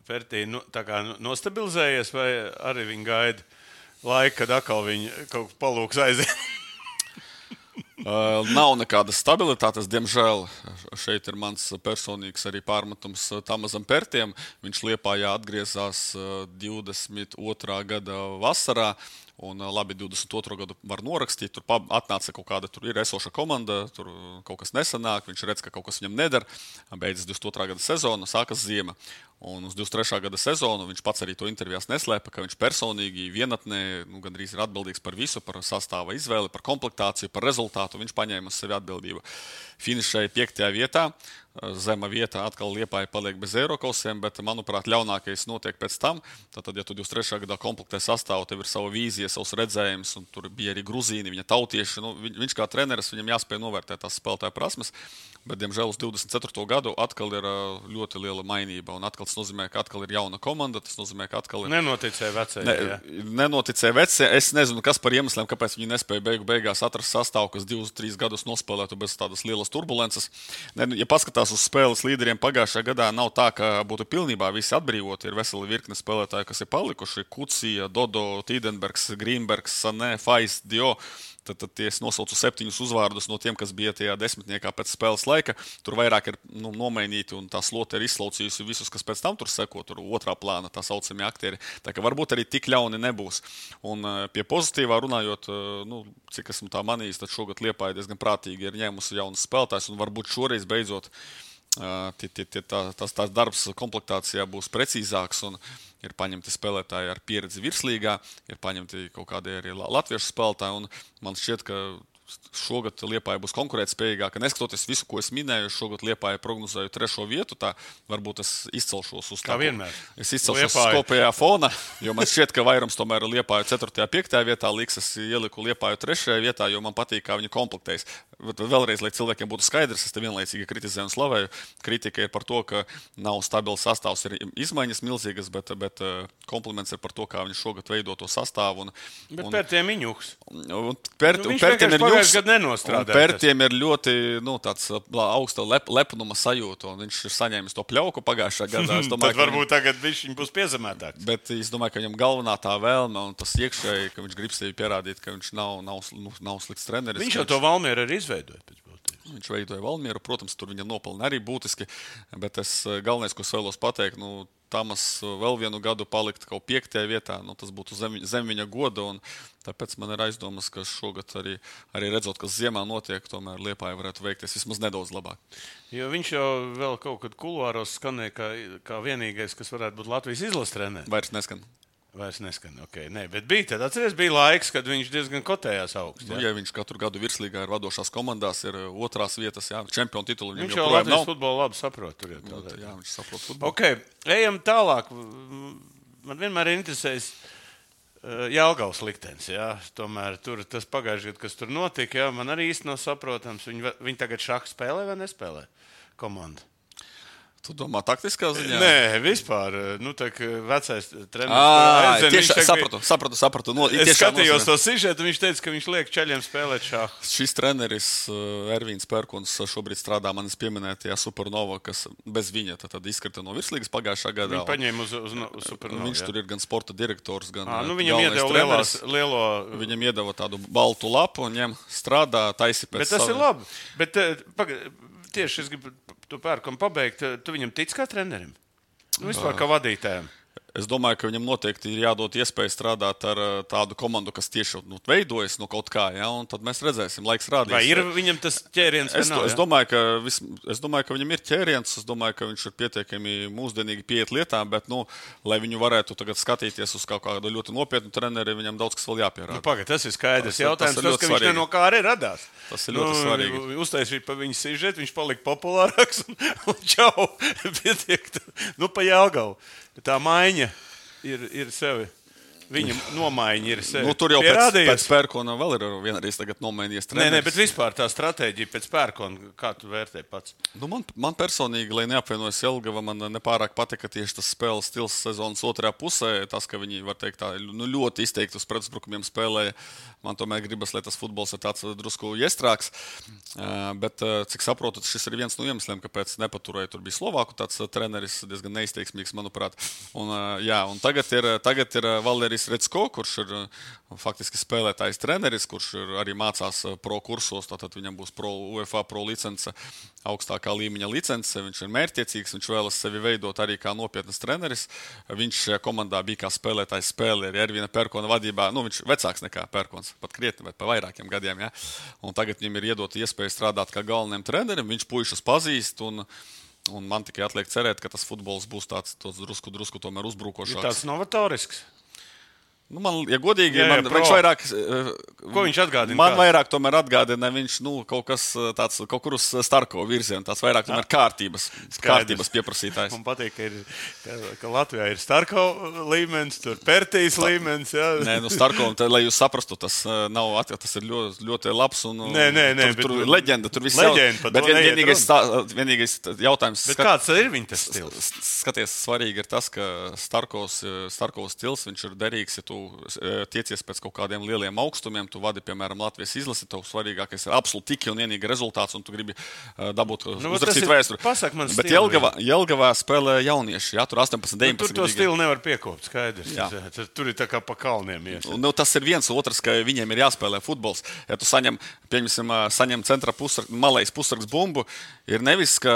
Pērtī, nu, tā kā nostabilizējies, vai arī viņi gaida laiku, kad atkal viņi kaut ko palūks aiziet? Uh, nav nekādas stabilitātes, diemžēl. Šeit ir mans personīgs arī pārmetums Tamazam Pērtiem. Viņš Liepājā atgriezās divdesmit otrā gada vasarā. Un labi, divdesmit otro gadu var norakstīt, tur atnāca kaut kāda, tur ir esoša komanda, tur kaut kas nesanāk, viņš redz, ka kaut kas viņam nedara, beidzas divdesmit otrā gada sezona, sākas ziema. Un uz divdesmit trešā gada sezonu viņš pats arī to intervijās neslēpa, ka viņš personīgi vienatnē, nu, gandrīz ir atbildīgs par visu, par sastāva izvēli, par komplektāciju, par rezultātu, viņš paņēma uz sevi atbildību. Finišēja piektajā vietā, zema vietā atkal Liepāja paliek bez Eirokausiem, bet, manuprāt, ļaunākais notiek pēc tam. Tātad, ja tu divdesmit trešajā gadā komplektē sastāvu, tev ir sava vīzija, savs redzējums, un tur bija arī Gruzīni, viņa tautieši. Nu, viņš kā treneris, viņam jāspēj novērtēt tās spēlētāju prasmes, bet, diemžēl, uz divdesmit ceturto gadu atkal ir ļoti liela mainība, un atkal tas nozīmē, ka atkal ir jauna komanda, tas nozīmē, ka atkal ir... Nenoticēja vecie. Ne, nenoticēja vecie. Es nezinu, kas par iemesliem, kāpēc viņi nespēja beigu beigās atrast sastāvu, kas divus, trīs gadus nospēlētu bez tādas lielas turbulences. Ne, ja paskatās uz spēles līderiem pagājušajā gadā, nav tā, ka būtu pilnībā visi atbrīvoti. Ir veseli virkne spēlētāji, kas ir palikuši. Kucija, Dodo, Tīdenbergs, Grīnbergs, Sanē, Fais, Dio. Tad, tad tie nosaucu septiņus uzvārdus no tiem, kas bija tajā desmitniekā pēc spēles laika. Tur vairāk ir nu, nomainīti un tā slote ir izslaucījusi visus, kas pēc tam tur seko, tur otrā plāna tā saucamie aktieri. Tā ka varbūt arī tik ļauni nebūs. Un pie pozitīvā runājot, nu, cik esmu tā manījis, tad šogad Liepāja diezgan prātīgi ir ņēmusi jaunas spēlētājs un varbūt šoreiz beidzot tie, tie, tie, tā, tās, tās darbs komplektācijā būs precīzāks un ir paņemti spēlētāji ar pieredzi virslīgā, ir paņemti kaut kādi arī latviešu spēlētāji, un man šķiet, ka šogad Liepāja būs konkurētspējīgāka. Neskatoties visu, ko es minēju, šogad Liepāja prognozēju trešo vietu, tā varbūt es izcelšos uz tā. Kā vienmēr. Es izcelšos uz kopējā fona, jo man šķiet, ka vairums tomēr Liepāju ceturtajā, piektajā vietā liks, es ieliku Liepāju trešajā vietā, jo man patīk, kā viņi komplektējas. Vēlreiz, lai cilvēkiem būtu skaidrs, es te vienlaicīgi kritizēju un slavēju. Kritika ir par to, ka nav stabils sastāvs, ir izmaiņas milzīgas, bet, bet kompliments ir par to, kā viņi šogad veido to sastāvu. Un, bet un, Pērtiem ir ņuks. Un, per, nu, un Pērtiem ir ņuks. Pērtiem ir ļoti nu, tāds augsta lep, lepnuma sajūta, un viņš ir saņēmis to pļauku pagājušā gadā. Domāju, tad varbūt viņam, tagad viņš būs piezemētāks. Bet es domāju, ka viņam galvenā tā vēlme un tas iekšēji, ka viņš grib sevi pierādīt, ka viņš nav, nav, nav slikts treneris. Viņš jau to Valmieru arī izveidoja pēc būtības. Viņš veidoja Valmieru, protams, tur viņam nopelna arī būtiski, bet es galvenais, ko es vēlos pateikt, nu, Tamas vēl vienu gadu palikt kaut piektajā vietā, nu, tas būtu zem, zem viņa goda, un tāpēc man ir aizdomas, ka šogad arī, arī redzot, kas ziemā notiek, tomēr Liepāja varētu veikties vismaz nedaudz labāk. Jo viņš jau vēl kaut kad kuluāros skanēja kā, kā vienīgais, kas varētu būt Latvijas izlases treneris. Vairs neskan. Vairs neskan, ok. Nē, bet bija tad, atceries, bija laiks, kad viņš diezgan kotējās augsts. Nu, ja viņš katru gadu virslīgā ir vadošās komandās, ir otrās vietas, jā, čempionu titulu. Viņš jau Latvijas futbolu labi saprot. Tur, jā, nu, jā, viņš saprot futbolu. Ok, ejam tālāk. Man vienmēr ir interesējis Jelgavas liktenis, jā. Tomēr tur tas pagājušajā gadā, kas tur notika, jā, man arī īsti nav saprotams. Viņi, viņi tagad šahu spēlē vai nespēlē komanda? Tu domā taktiskā ziņā? Nē, vispār. Nu, tā kā vecais treneris. Ā, tieši sapratu, sapratu, sapratu. No, es skatījos to sižetu, viņš teica, ka viņš liek čaļiem spēlēt šāhu. Šis treneris Ervīns Pērkons šobrīd strādā manis pieminētajā Supernova, kas bez viņa tad, tad izkrita no virslīgas pagājušā gadā. Viņš paņēma uz, uz, uz Supernova. Viņš jā. Tur ir gan sporta direktors, gan à, nu, viņam iedeva lielās, lielo... Viņam iedeva tādu baltu lapu un viņam strādā taisi pēc Bet tas savu... ir labi. Bet paga, tieši es gribu to Pērkonu pabeigt. Tu viņam tic kā trenerim? Nu, vispār kā vadītājiem? Es domāju, ka viņam noteikti ir jādod iespēja strādāt ar tādu komandu, kas tieši nu, veidojas no kaut kā, ja, un tad mēs redzēsim, laiks rādīs. Vai ir viņam tas ķēriens? Es, nav, es, domāju, ka vis, es domāju, ka viņam ir ķēriens, es domāju, ka viņš ir pietiekami mūsdienīgi pieiet lietām, bet, nu, lai viņu varētu tagad skatīties uz kaut kādu ļoti nopietnu treneri, viņam daudz kas vēl jāpierāda. Nu, pagad, tas ir skaidrs tas, jautājums, tas, tas, ka viņš no kā arī radās. Tas ir ļoti nu, svarīgi. Uztaisīt pa viņu sižetu, viņš palika populārāks un, un čau, pietiek, nu, pa Jelgavu. Tā maiņa. Ir, ir sevi. Viņa nomaiņa ir sevi. Nu, tur jau pēc, pēc Pērkona vēl ir vienreiz tagad nomainījies treneris. Nē, nē, bet vispār tā stratēģija pēc Pērkona, kā tu vērtē pats? Nu, man, man personīgi, lai neapvienojas Jelgava, man nepārāk patika tieši tas spēles stils sezonas otrajā pusē. Tas, ka viņi, var teikt, tā, nu, ļoti izteikti uz pretuzbrukumiem spēlēja. Man tomēr gribas, lai tas futbols ir tāds drusku iestrāks. Uh, bet, uh, cik saprotu, šis ir viens no iemesliem, kāpēc nepaturēja. Tur bija Slovāku tāds treneris, diezgan neizteiksmīgs, manuprāt. Un, uh, jā, un tagad ir, tagad ir Valerijs Redsko, kurš ir uh, faktiski spēlētājs treneris, kurš ir, arī mācās uh, pro kursos. Tātad viņam būs pro, UEFA pro licence, augstākā līmeņa licence. Viņš ir mērķtiecīgs, viņš vēlas sevi veidot arī kā nopietnas treneris. Viņš šajā komandā bija kā spēlētājs spēlē arī Ervīna Pērkona vadībā. Nu, viņš vecāks nekā Pērkons. Pat krietni, bet pa vairākiem gadiem. Ja? Un tagad viņam ir iedota iespēja strādāt kā galvenajam trenerim. Viņš puišus pazīst un, un man tikai atliek cerēt, ka tas futbols būs tāds drusku, drusku tomēr uzbrukošāks. Ir tāds novatorisks? Nu, man, ja godīgi, jā, jā, man, viņš vairāk, ko viņš atgādina? Man kāds? vairāk tomēr atgādina, viņš nu, kaut kas tāds, kaut kur uz Starko virzienu, tāds vairāk tomēr kārtības, kārtības pieprasītājs. Man patīk, ka, ir, ka, ka Latvijā ir Starko līmenis, tur Pertīs Tā. līmenis, jā. Nē, nu Starko, un, tā, lai jūs saprastu, tas nav, tas ir ļoti, ļoti labs un nē, nē, nē, tur, tur bet, leģenda, tur viss leģenda, jau, bet vien, vienīgais, tā, vienīgais jautājums. Bet skat, kāds ir viņa tas stils? Skaties, svarīgi ir tas, ka Starkovs, Starkovs stils, viņš ir derīgs, ja tu tiecies pēc kaut kādiem lieliem augstumiem, tu vadi, piemēram, Latvijas izlasi, tev svarīgākais ir absolūti tikai un vienīgi rezultāts, un tu gribi uh, dabūt nu, uzrakstīt vēsturi. Pasak man Bet stilu, Jelgavā, Jelgavā spēlē jaunieši, jā, tur astoņpadsmit, deviņpadsmit. Nu, tur to stilu nevar piekopt, skaidrs. Jā. Tur ir tā kā pa kalniem ies. Nu, tas ir viens, otrs, ka viņiem ir jāspēlē futbols. Ja tu saņem, pieņemsim, saņem centra pusrak, malais pusraks bumbu, ir nevis, ka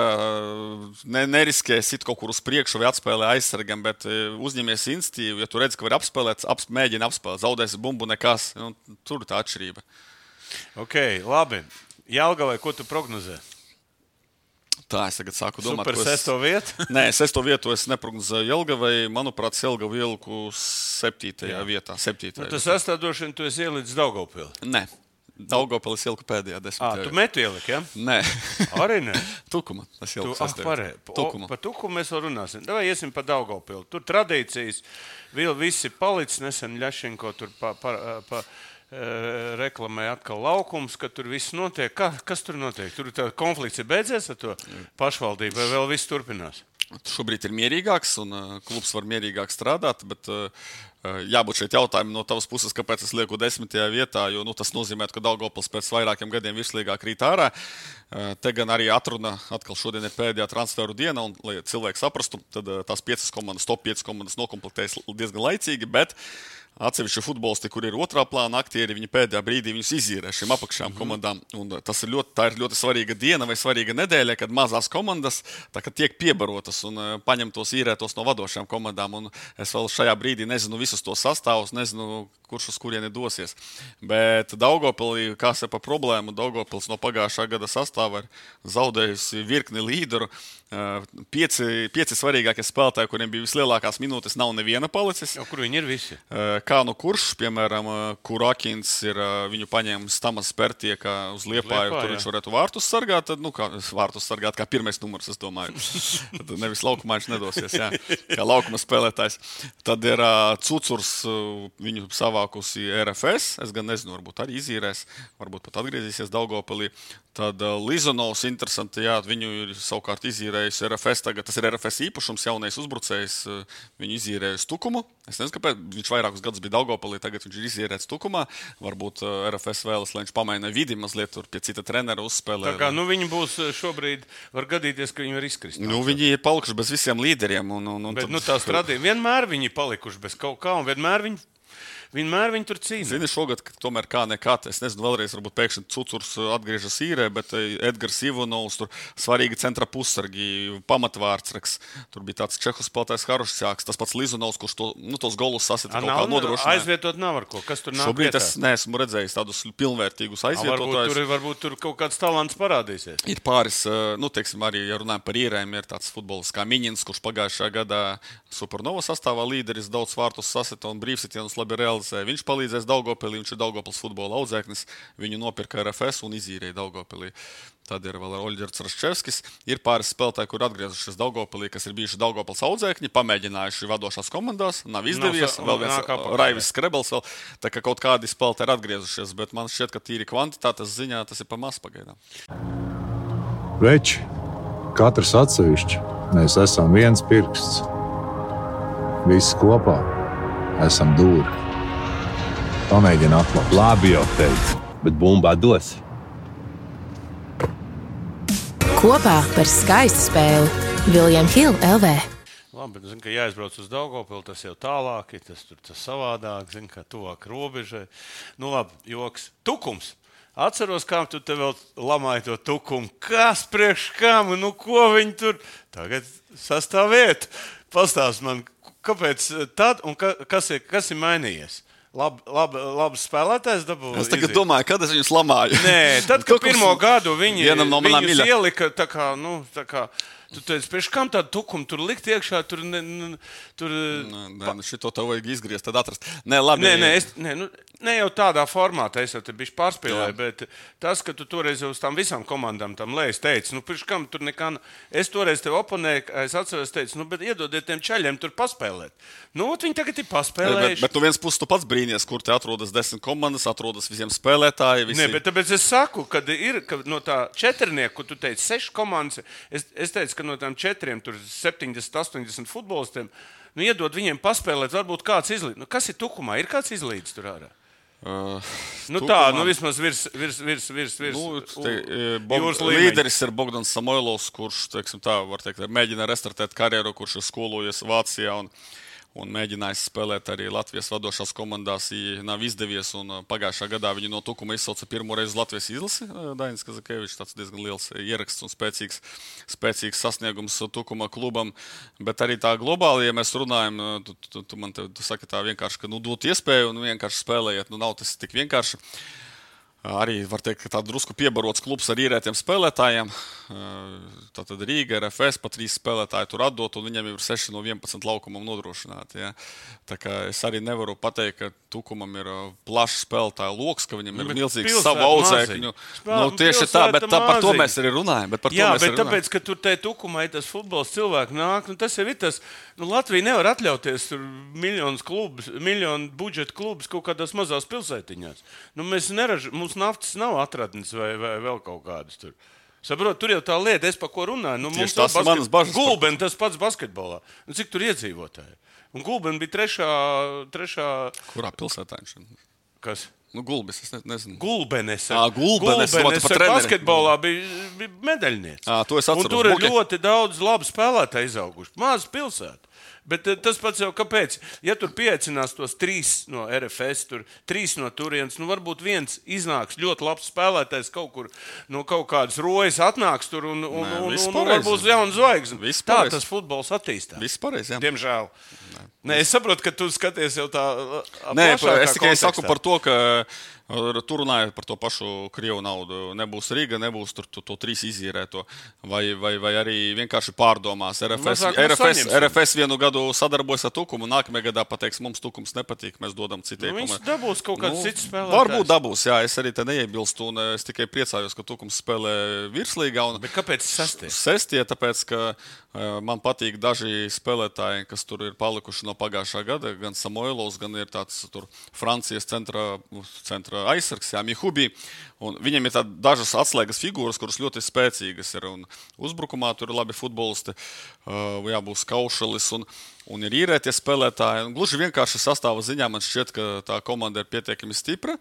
ne, neriskē sit kaut kur uz priekšu vai atspēlē aizsargam, bet uzņemies institīvu, ja tu redzi, ka var apspēlēt, aps, mēģina apspēlēt, zaudēsi bumbu, nekas. Nu, tur ir tā atšķirība. Ok, labi. Jelgavai, ko tu prognozē? Tā, es tagad sāku domāt. Super sesto vietu? Nē, sesto vietu es neprognozēju Jelgavai. Manuprāt, Jelgavu ieliku septītajā Jā. vietā. Septītajā nu, tas sestā droši vien tu esi ielicis Daugavpili. Nē. Daugavpili es ieliku pēdējā desmitajā. Ā, tu metu ieliki, ja? Nē. Arī ne? Tukuma. Es ieliku tu, ah, parē. Tukuma. Par Tukumu mēs vēl runāsim. Davai iesim pa Daugavpili. Tur tradīcijas, vēl visi palicis, nesen Ļašenko tur pa, pa, pa, reklamē atkal laukums, ka tur viss notiek. Kā, kas tur notiek? Tur tā konflikts ir beidzies ar to pašvaldību, vai vēl viss turpinās? Šobrīd ir mierīgāks un uh, klubs var mierīgāk strādāt, bet uh, jābūt šeit jautājumam no tavas puses, kāpēc es lieku desmitajā vietā, jo nu, tas nozīmē, ka Daugavpils pēc vairākiem gadiem virslīgā krīt ārā. Uh, te gan arī atruna, atkal šodien ir pēdējā transferu diena, un, lai cilvēki saprastu, tad uh, tās piecas komandas, top piecas komandas nokomplektējas diezgan laicīgi, bet atsevišķi futbolisti, kur ir otrā plāna aktieri, viņi pēdējā brīdī viņus izīrē šīm apakšām mm-hmm. komandām. Un tas ir ļoti, tā ir ļoti svarīga diena vai svarīga nedēļa, kad mazās komandas tā, kad tiek piebarotas un uh, paņemtos īrētos no vadošām komandām. Un es vēl šajā brīdī nezinu visus tos sastāvus, nezinu, kurš uz kurieni dosies. Bet Daugavpilī, kas ir pa problēmu, Daugavpils no pagājušā gada sastāva ir zaudējusi virkni līderu. Pieci, pieci svarīgākie spēlētāji, kuriem bija vislielākās minūtes, nav neviena palicis. O, kur viņi ir visi? Kā nu kurš, piemēram, Kurakins ir viņu paņēmis Tamas Pertie, kā uz Liepāju, Liepā, tur jā. viņš varētu vārtus sargāt, tad, nu, kā vārtus sargāt kā pirmais numurs, es domāju. Tad nevis laukumā viņš nedosies, jā, kā laukuma spēlētājs. Tad ir uh, Cucurs, uh, viņu savākusi R F S, es gan nezinu, varbūt arī izīrēs, varbūt pat atgriezīsies Daugavpilī. Tad uh, Lizonovs, interesanti, jā, viņu ir savukārt izīrējusi R F S, tagad tas ir R F S īpašums, jaunais uzbrucējs, uh, viņu izīrējusi Tukumu. Es nezinu, kāpēc viņš vairākus gadus bija Daugavpilī, tagad viņš ir izīrēts Tukumā. Varbūt uh, R F S vēlas, lai viņš pamaina vidi mazliet tur pie cita trenera uzspēlē. Tā kā, nu, viņi būs šobrīd, var gadīties, ka viņi var izkrist. Nu, viņi ir palikuši bez visiem līderiem. Un, un, un Bet, tad... nu, tās tradīja, vienmēr viņi palikuši bez kaut kā, un vienmēr viņi, vienmēr viņi tur cīnās. Zini, šogad, tomēr kā nekā, es nezinu, vēlreiz varbūt pēkšņi Cucurs atgriežas īrē, bet Edgars Ivanovs, tur svarīgi centra pussargi, pamatvārdsraks, tur bija tāds čehu spēlētājs Harušķāks, tas pats Lizonovs, kurš to, nu, tos golus sasita kaut kā nodrošināja. Aizvietot nav ar ko, kas tur nāk Šobrīd vietā? es neesmu redzējis tādus pilnvērtīgus aizvietotājus. Varbūt tur, varbūt tur kaut kāds talants parādīsies. Ir pāris, nu, teiksim, arī, ja runājam par īrēm, ir tāds futbolists kā Miņins, kurš pagājušajā gadā Supernova sastāvā līderis, daudz vārtus sasita un brīvsitienus labi realizēja. Viņš palīdzēs Daugavpilī, viņš ir Daugavpils futbola audzēknis, viņu nopirka R F S un izīrēja Daugavpilī. Tad ir vēl Oļģerts Raščevskis. Ir pāris spēlētāji, kur atgriezušies Daugavpilī, kas ir bijuši Daugavpils audzēkņi, pamēģinājuši vadošās komandās, nav izdevies. Nav, vēl viens Raivis Skrebels vēl, tā kā kaut kādi spēlētāji ir atgriezušies, bet man šķiet, ka tīri kvantitātes ziņā tas ir pa maz pagaidām. Veči, katrs atsevišķi, mēs esam viens pirksts. Visi kopā esam dūri. Pamēģini atklāt. Labi jau teicu, bet bumbā dos. Kopā par skaistu spēli William Hill L V. Labi, bet zinu, ka jāizbrauc uz Daugavpili, tas jau tālāk, tas tur tas savādāk, zinu, ka tuvāk robežai. Nu labi, joks. Tukums. Atceros, kā tu te vēl lamāji to Tukumu. Kas priekš kam? Nu ko viņi tur? Tagad sastāvēt. Pastāst man, kāpēc tad un ka, kas, ir, kas ir mainījies? Lab, lab, labs spēlētājs dabūja. Es tagad izīt. domāju, kad es viņus lamāju. Nē, tad, kad pirmo gadu viņi, no viņus ielika tā kā, nu, tā kā Tu teici, pēc kam tādu tukumu tur likt iekšā, tur... Ne, ne, tur nē, nē, šito tev vajag izgriezt, tad atrast. Nē, labi. Nē, nē, es, nē, nu, ne jau tādā formātā, es jau te bišķi pārspēlēju, bet tas, ka tu toreiz uz tām visām komandām tam lēs teici, nu, pēc kam tur nekā... Es toreiz tev oponēju, es atceros, teicu, nu, bet iedodiet tiem čaļiem tur paspēlēt. Nu, viņi tagad ir paspēlējuši. Bet, bet no viens puses tu pats brīnies, kur te atrodas desmit komandas, atrodas visiem spēlētāji. Visi... Nē, bet tāpēc es saku, kad ir ka no tā četrnieku, kur tu teici, seši komandas, es, es teicu, ka no tām četriem, tur septiņdesmit, astoņdesmit futbolistiem, nu, iedod viņiem paspēlēt, varbūt kāds izlīdz. Nu, kas ir tukumā? Ir kāds izlīdz tur ārā? Uh, nu tukumā... tā, nu vismaz virs, virs, virs, virs, virs nu, te, u, Bog... Līderis ir Bogdans Samoilovs, kurš, teiksim tā, var teikt, mēģina restartēt karjeru, kurš ir skolojies Vācijā un un mēģinājis spēlēt arī Latvijas vadošās komandās, ja nav izdevies, un pagājušā gadā viņi no tukuma izsauca pirmo reizi Latvijas izlasi. Dainis Kazakēvičs, tāds diezgan liels ieraksts un spēcīgs, spēcīgs sasniegums tukuma klubam, bet arī tā globāli, ja mēs runājam, tu, tu, tu man te tu saki tā vienkārši, ka nu dot iespēju un vienkārši spēlējiet, nu nav tas tik vienkārši. Arī var teikt, ka tā drusku piebarots klubs ar īrētiem spēlētājiem. Tātad Rīga, R F S, pa trīs spēlētāji tur atdot, un viņiem ir seši no vienpadsmit laukumam nodrošināti. Ja. Tā kā es arī nevaru pateikt, ka Tukumam ir plašs spēlētāju loks, ka viņam ir milzīgs savu audzēkņu. Nu, tieši tā, bet tā, par to mēs arī runājam. Bet par Jā, to mēs bet arī tāpēc, ka tur te Tukumā ir tas futbols cilvēki nāk, nu tas jau ir tas, nu Latvija nevar atļauties tur miljonus klubus, miljonu budžeta klubus kaut kādās mazās pilsētiņās. Nu mēs neraž, mums naftas nav atradnes vai, vai vēl kaut kādas tur. Saprot, tur jau tā lieta, es pa ko runāju. Nu, Tieši tas ir manas bažas. Gulben, tas pats basketbolā. Nu, cik tur iedzīvotāji? Un Gulben bija trešā... trešā... Kurā pilsētā viņš? Kas? Nu, Gulbis, es ne, nezinu. Gulbenes. Ā, Gulbenes. Gulbenes ar basketbolā bija, bija medaļnieks. Ā, to es atceros. Un tur ir okay. ļoti daudz labu spēlētāju izauguši. Maza pilsēta. Bet tas pats jau kāpēc? Ja tur pieaicinās tos trīs no R F S, tur trīs no turienes, nu varbūt viens iznāks ļoti labs spēlētājs kaut kur, no kaut kādas rojas atnāks tur un, un, Nē, un, un, un pareizi. varbūt jauna zvaigzne. Viss Tā pareizi. tas futbols attīstās. Viss pareizi, jā. Diemžēl. Nē. Nē, es saprotu, ka tu skaties jau tā Nē, plašākā es tikai kontekstā. saku par to, ka tur runājot par to pašu Krievu naudu. Nebūs Rīga, nebūs tur to, to trīs izīrēto. Vai, vai, vai arī vienkārši pārdomās. R F S, R F S, R F S vienu gadu sadarbojas ar Tukumu, nākamajā gadā pateiks, mums Tukums nepatīk, mēs dodam citai Nu, komandai. viņš dabūs kaut kāds Nu, cits spēlētājs. Varbūt dabūs, jā, es arī te neiebilstu, un es tikai priecājos, ka Tukums spēlē virslīgā. Un Bet kāpēc sastie? Sestie, tāpēc, ka uh, man patīk daži spēlētāji, kas tur ir palikuši no pagājušā gada, gan Samoilovs, gan ir tāds tur Francijas centra, centra aizsargs, jā, Mihubi, un viņiem ir tā dažas atslēgas figūras, kuras ļoti spēcīgas ir, un uzbrukumā tur ir labi futbolisti, uh, jābūs Kaušalis, un, un ir īrētie spēlētāji, un gluži vienkārši sastāva ziņā man šķiet, ka tā komanda ir pietiekami stipra.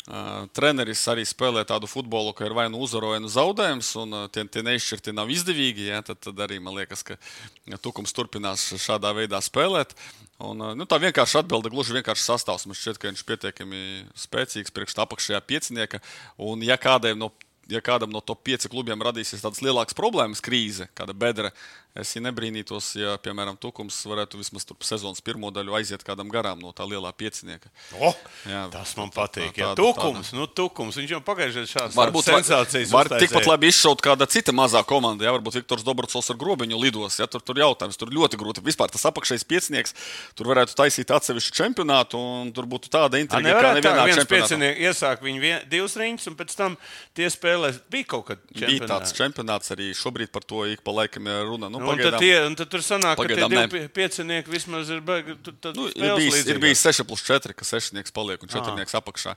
Uh, treneris arī spēlē tādu futbolu, ka ir vai nu uzvaro, vai nu zaudējums, un uh, tie, tie neizšķirti nav izdevīgi, ja, tad, tad arī man liekas, ka ja, Tukums turpinās šādā veidā spēlēt. Un, uh, nu, tā vienkārši atbilde, gluži vienkārši sastāvs. Man šķiet, ka viņš pietiekami spēcīgs priekš tā apakšējā piecinieka, un ja kādiem no Ja kādam no top pieci klubiem radīsies tādas lielākas problēmas, krīze, kāda bedra, es ja nebrīnītos, ja, piemēram, Tukums varētu vismaz tur sezonas pirmo daļu aiziet kādam garām no tā lielā piecinieka. Oh, Jā, tas man patīk. tā- Jā, tāda- Tukums, tāda. nu Tukums, viņš jau pagājušajā šādas Varbūt sensācijas var uztaisīja. tikpat labi izšaut kāda cita mazā komanda. Jā, varbūt Viktors Dobrocovs ar grobiņu lidos. Jā, tur, tur jautājums, tur ļoti grūti. Vispār tas apakšējais piecinieks, tur varētu taisīt atsevišķu čempionātu, un tur būtu tāda A, intriga, kā nevarētu tā, nevienā viens čempionātā. piecinieks iesāk viņu vien, divas riņas, un pēc tam tie spēlēs. Bija kaut kad Bija tāds čempionāts. čempionāts arī šobrīd par to ik pa laikam ir runa. Nu, Nu, un, tad tie, un tad tur sanāk, ka tie pagaidām divi ne. pie- piecinieki vismaz ir beigi. Nu, ir bijis, ir bijis seši plus četri, ka sešnieks paliek un četrnieks apakšā.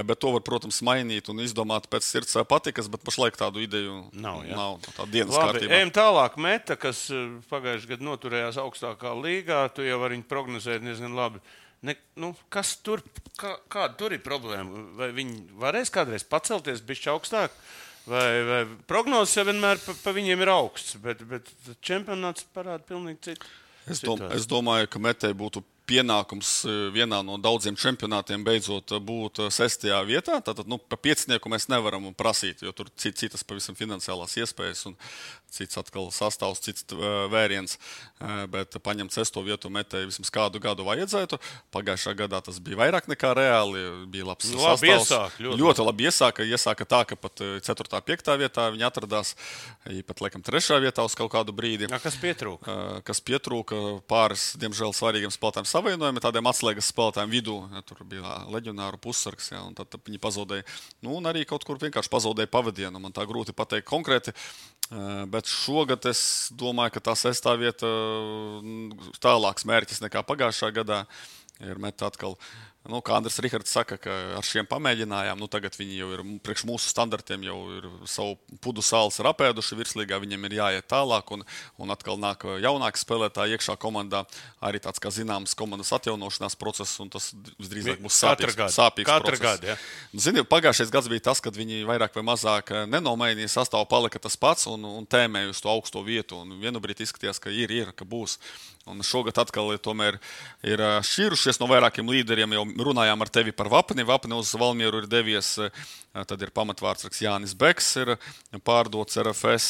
Bet to var, protams, mainīt un izdomāt pēc sirds vai patikas, bet pašlaik tādu ideju Nav, jā. nav tā dienas Labi, kārtībā. ejam tālāk. Meta, kas eh, pagājušajā gadā noturējās augstākā līgā, tu jau vari viņu prognozēt diezgan labi. Ne, nu, kas tur, kā, kāda tur ir problēma? Vai viņi varēs kādreiz pacelties bišķi augstāk? Vai, vai prognozes jau vienmēr pa, pa viņiem ir augsts, bet, bet čempionāts parāda pilnīgi citu. Es, dom, situāciju. es domāju, ka Metei būtu pienākums vienā no daudziem čempionātiem beidzot būt sestajā vietā. Tātad, nu, pa piecnieku mēs nevaram prasīt, jo tur citas pavisam finansiālās iespējas un cits atkal sastāvs, cits vēriens. Bet paņemt sesto vietu metēji vismaz kādu gadu vajadzētu. Pagājušā gadā tas bija vairāk nekā reāli. Bija labs nu, labi sastāvs. Iesāk, ļoti, ļoti labi iesāka. Iesāka tā, ka pat ceturtā, piektā vietā viņi atradās. Pat, laikam, trešā vietā uz kaut kādu brīdi. Jā, kas pietrūka? Kas pietrūka pāris, diemžēl, svarīgiem spēlētājiem savainojumi, tādiem atslēgas spēlētājiem vidū. Ja, tur bija leģionāru pussargs, ja, un tad, tad viņi pazaudēja. Nu, un arī kaut kur vienkārši pazaudēja pavadienu. Man tā grūti pateikt konkrēti. Bet šogad es domāju, ka tā sestā vieta tālāks mērķis nekā pagājušā gadā ir met atkal. Nu, kā Andris Rihards saka, ka ar šiem pamēģinājām, nu tagad viņi jau ir priekš mūsu standartiem, jau ir savu pudu sāls ir apēduši virslīgā, viņiem ir jāiet tālāk un, un atkal nāk jaunāki spēlētāji iekšā komandā, arī tāds kā zināms komandas atjaunošanās process, un tas visdrīzāk būs sāpīgs, sāpīgs process. Gadu, ja. Zini, pagājušais gads bija tas, kad viņi vairāk vai mazāk nenomainīja sastāvu, palika tas pats un, un tēmēja uz to augsto vietu, un vienu brīdi izskatījās, ka ir, ir, ka būs. Un šogad atkal tomēr ir šķīrušies no vairākiem līderiem. Jau runājām ar tevi par Vapni. Vapni uz Valmieru ir devies, tad ir pamatvārdsargs Jānis Beks, ir pārdots R F S.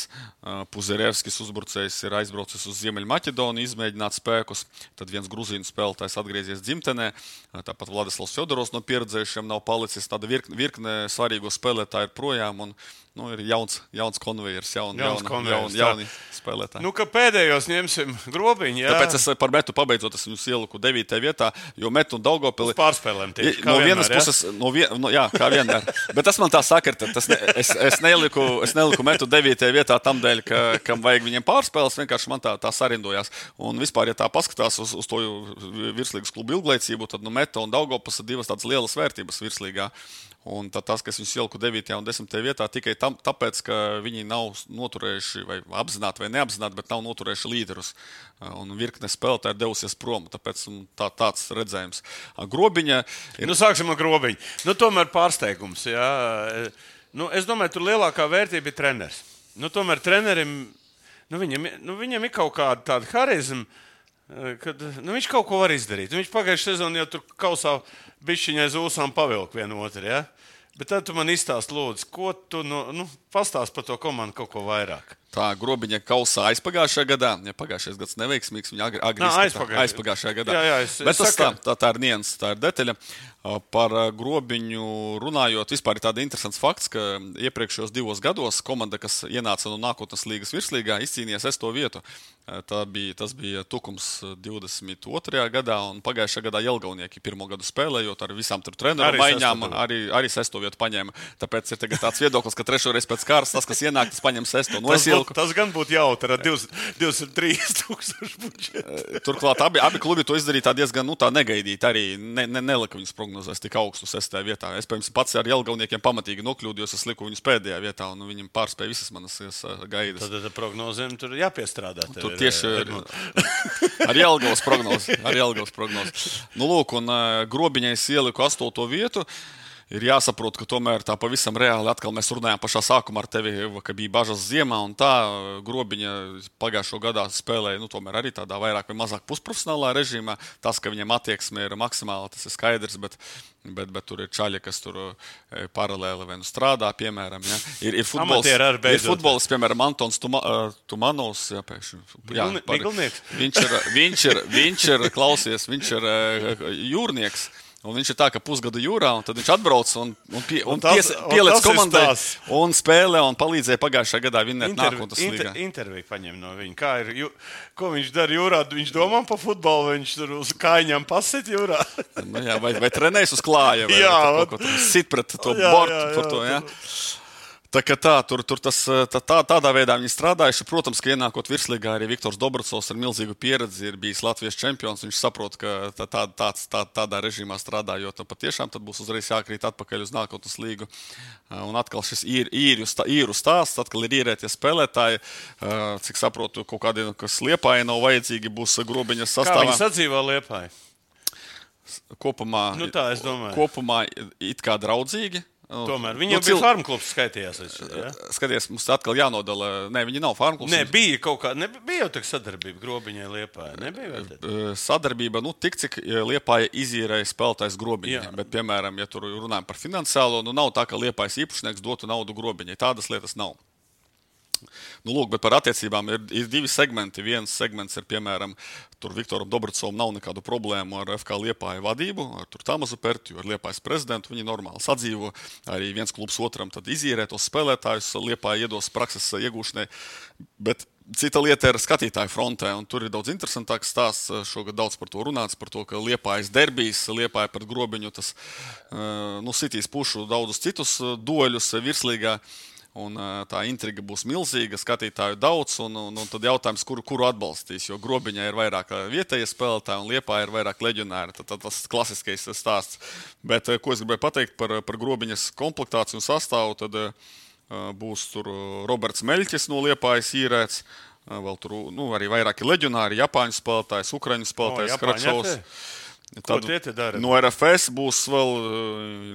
Puzerevskis uzbrucējs ir aizbraucis uz Ziemeļmaķedoniju, izmēģināt spēkus. Tad viens gruzīnu spēlētājs atgriezies dzimtenē. Tāpat Vladislavs Fjodorovs no pieredzējušiem nav palicis. Tāda virkne, virkne svarīgo spēlētāju ir projām. Un, nu, ir jauns, jauns konvejers, jaun, jauns jauna, konvejers, jaun, jauni spēlētāji. Nu, ka pēdējos ņemsim Grobiņu, jā. Tāpēc es par metu pabeidzot, es viņus ieliku devītajā vietā, jo metu un Daugavpili... Uz pārspēlēm tieši, kā no vienmēr, vienas puses, no vien, no, jā, kā vienmēr. Bet tas man tā sakarta. Tas ne, es, es, neliku, es neliku metu devītajā vietā tam dēļ, ka, kam vajag viņiem pārspēles, vienkārši man tā, tā sarindojās. Un vispār, ja tā paskatās uz, uz to virslīgas klubu ilglaicību, tad nu, metu un Daugavpils ir divas tādas lielas vērtības virslīgā. Un tas, kas viņus ieliku devītajā un desmitajā vietā, tikai tam, tāpēc, ka viņi nav noturējuši, vai apzināti vai neapzināti, bet nav noturējuši līderus. Un virkne spēlētāji ir devusies prom, tāpēc tā, tāds redzējums. Grobiņa ir... Nu, sāksim ar Grobiņu. Nu, tomēr pārsteigums, jā. Nu, es domāju, tur lielākā vērtība ir treneris. Nu, tomēr trenerim, nu, viņam, nu, viņam ir kaut kāda tāda harizma, kad nu, viņš kaut ko var izdarīt. Viņš pagājušajā sezonā jau tur kausā bišķiņai zūsām pavilk vienu otru, ja? Bet tad tu man izstāst, lūdzu, ko tu, nu, nu pastāst par to komandu kaut ko vairāk. Tā Grobiņa kausā aizpagājušajā gadā, ja pagājušais gads neveiksmīgs, viņa agri, agri aizpagājušajā. aizpagājušajā gadā. Jā, jā, es, Bet es tas saku... tā, tā, tā ir nians, tā ir detaļa. Par Grobiņu runājot, vispār ir tāda interesants fakts, ka iepriekšējos divos gados komanda, kas ienāca no nākotnes līgas virslīgā, izcīnīja sesto vietu. Tā bija, tas bija Tukums divdesmit otrajā gadā, un pagājušajā gadā Jelgavnieki pirmo gadu spēlējot ar visām tur treneru arī maiņām, sesto arī, arī sesto vietu paņēma. Tāpēc ir tagad tāds viedoklis, ka trešoreiz pēc kārtas tas, kas ienāk, tas paņem sesto. Nu, tas, būt, tas gan būtu jautri ar divdesmit trīs tūkstoši budžetu. Turklāt abi, abi klubi to izdarīja diezgan nu, tā negaidīt. Arī ne, ne, nelika viņus prognozēs tik augstu sestajā vietā. Es, piemēram, pats ar Jelgavniekiem pamatīgi nokļūdījos, es liku viņus pēdējā vietā, un viņiem pārspēja visas manas gaidas. Tad, tad prognozēm tur jāpiestrādā. Tur tieši ir, ar Jelgavas prognozi. Ar Jelgavas prognozi. Nu, lūk, un uh, Grobiņai es ieliku astoto vietu. Ir jāsaprot, ka tomēr tā pavisam reāli atkal mēs runājām pašā sākumā ar tevi, ka bija bažas ziemā, un tā Grobiņa pagājušo gadā spēlēja, nu, tomēr arī tādā vairāk vai mazāk pusprofesionālā režīmā. Tas, ka viņiem attieksme ir maksimāla, tas ir skaidrs, bet, bet, bet tur ir čaļi, kas tur paralēli vai nu strādā, piemēram. Ja. Ir, ir futbols, ir futbols, piemēram, Antons Tuma, Tumanovs, jā, pēkšņi. Jā, par, viņš ir, viņš ir, viņš ir, klausies, viņš ir jūrnieks. Un viņš ir tā, ka pusgadu jūrā, un tad viņš atbrauc un, un, pie, un, un pies, pieliec komandai un spēlē un palīdzēja pagājušajā gadā vinnēt nākotnes līgā. Inter, interviju paņem no viņa. Kā ir, jū, ko viņš dara jūrā? Viņš domā par futbolu, viņš tur uz kājiņām pasit jūrā. Nu, jā, vai, vai trenējas uz klāja, vai, jā, vai to, sit pret to jā, bortu jā, jā, par to, jā. Tā kā tā, tur, tur tas, tā, tā, tādā veidā viņi strādājuši. Protams, ka ienākot virslīgā arī Viktors Dobracovs ar milzīgu pieredzi ir bijis Latvijas čempions. Viņš saprot, ka tā, tā, tāds, tā, tādā režīmā strādājot, patiešām tad būs uzreiz jākrīt atpakaļ uz nākotnes līgu. Un atkal šis īr, īru, stā, īru stāsts, atkal ir īrētie spēlētāji. Cik saprotu, kaut kādiem, kas Liepāja nav vajadzīgi, būs Grobiņas sastāvā. Kā viņi sadzīvo Liepāja? Kopumā, nu tā, es domāju. Kopumā it kā draudzīgi. Tomēr viņam nu, bija farm klubs skaitījās. Ja? Skaties, mums atkal jānodala. Nē, viņi nav farm klubs. Nē, bija kaut kā, ne, bija jau tā sadarbība Grobiņai Liepājai. Nebija vēl sadarbība, nu, tik cik Liepāja izīrēja spēlētājs Grobiņai. Bet, piemēram, ja tur runājam par finansiālo, nu nav tā, ka Liepājas īpašnieks dotu naudu Grobiņai. Tādas lietas nav. Nu, lūk, bet par attiecībām ir, ir divi segmenti. Viens segments ir, piemēram, tur Viktoram Dobrcovam nav nekādu problēmu ar F K Liepāja vadību, ar tur Tamazu Pertiju, ar Liepājas prezidentu. Viņi normāli sadzīvo. Arī viens klubs otram tad izīrē tos spēlētājus, Liepāja iedos prakses iegūšanai. Bet cita lieta ir skatītāju frontē, un tur ir daudz interesantāks stāsts. Šogad daudz par to runāts, par to, ka Liepājas derbijs, Liepāja pret Grobiņu, tas nu, sitīs pušu daudzus citus dueļus virslīgā. Un, tā intriga būs milzīga, skatītāju daudz, un, un, un tad jautājums, kuru, kuru atbalstīs. Jo Grobiņā ir vairāk vietējie spēlētāji, un Liepājā ir vairāk leģionāri. Tad, tad tas klasiskais stāsts. Bet, ko es gribēju pateikt par, par Grobiņas komplektāciju un sastāvu, tad uh, būs tur Roberts Meļķis no Liepājas īrēts. Uh, vēl tur nu, arī vairāki leģionāri, Japāņu spēlētājs, Ukraiņu spēlētājs, Kračovs. Tad, no R F S būs vēl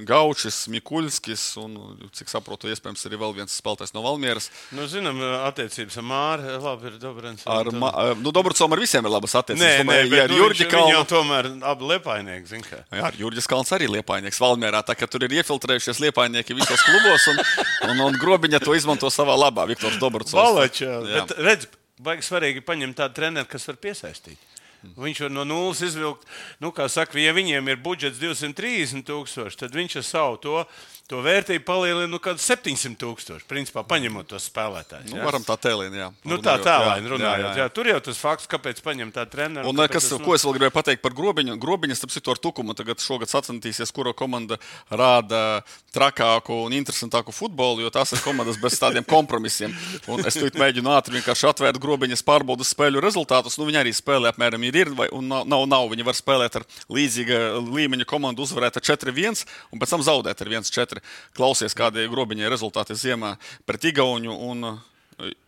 Gaučis, Mikuļskis un, cik saprotu, iespējams arī vēl viens spēlētājs no Valmieras. Nu, zinām, attiecības ar Māri, labi ir Dobrens. Ar, ma, nu, Dobrcovam ar visiem ir labas attiecības. Nē, tomēr, nē, bet ja nu, Jurģi viņš, Kalnu... viņam tomēr abi Liepājnieki, zin kā. Jā, Jurģis Kalns arī Liepājnieks Valmierā, tā ka tur ir iefiltrējušies Liepājnieki visos klubos un, un, un Grobiņa to izmanto savā labā, Viktors Dobrcovs. Valačā, bet redz, baigi svarīgi paņemt tādu treneru, kas var piesaistīt. Viņš var no nulles izvilkt, nu, kā saka, ja viņiem ir budžets divsimt trīsdesmit tūkstoši, tad viņš ar savu to, to vērtību palielina nu kādu septiņsimt tūkstoši, principā paņemot tos spēlētājus. Nu, varam tā tēlīni, jā. Nu, tā tālaini runājot, jā, jā. Jā. Tur jau tas fakts, kāpēc paņem tā treneru. Un, kas, tas, ko es vēl gribēju pateikt par Grobiņu? Grobiņas, starp citu, ar Tukumu tagad šogad sacentīsies, kura komanda rāda trakāku un interesantāku futbolu, jo tās ir komandas bez tādiem kompromisiem. Un es tūlīt mēģinu ātri vienkārši atvērt Grobiņas pārbaudas spēļu rezultātus. Nu, viņi arī spēlē apmēram ir, ir vai, un nav, nav, nav. Viņi var spēlēt ar līdzīga līmeņa komandu, uzvarēt ar četri viens un pēc tam zaudēt ar viens četri. Klausies, kādi Grobiņai rezultāti ziemā pret Igauņu un,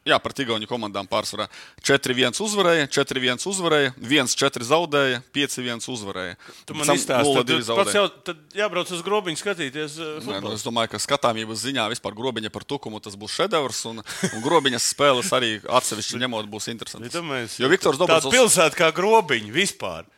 jā, pret Igauņu komandām pārsvarā. četri viens uzvarēja, četri viens uzvarēja, viens četri zaudēja, pieci viens uzvarēja. Tu man izstāsti, tad pats jau tad jābrauc uz Grobiņu skatīties futbolu. Nē, nu, es domāju, ka skatāmības ziņā vispār Grobiņa par Tukumu tas būs šedevrs, un, un Grobiņas spēles arī atsevišķi ņemot būs interesants. Jo Viktors Dobrcovs... Tāda pilsēta kā Grobiņa vispār.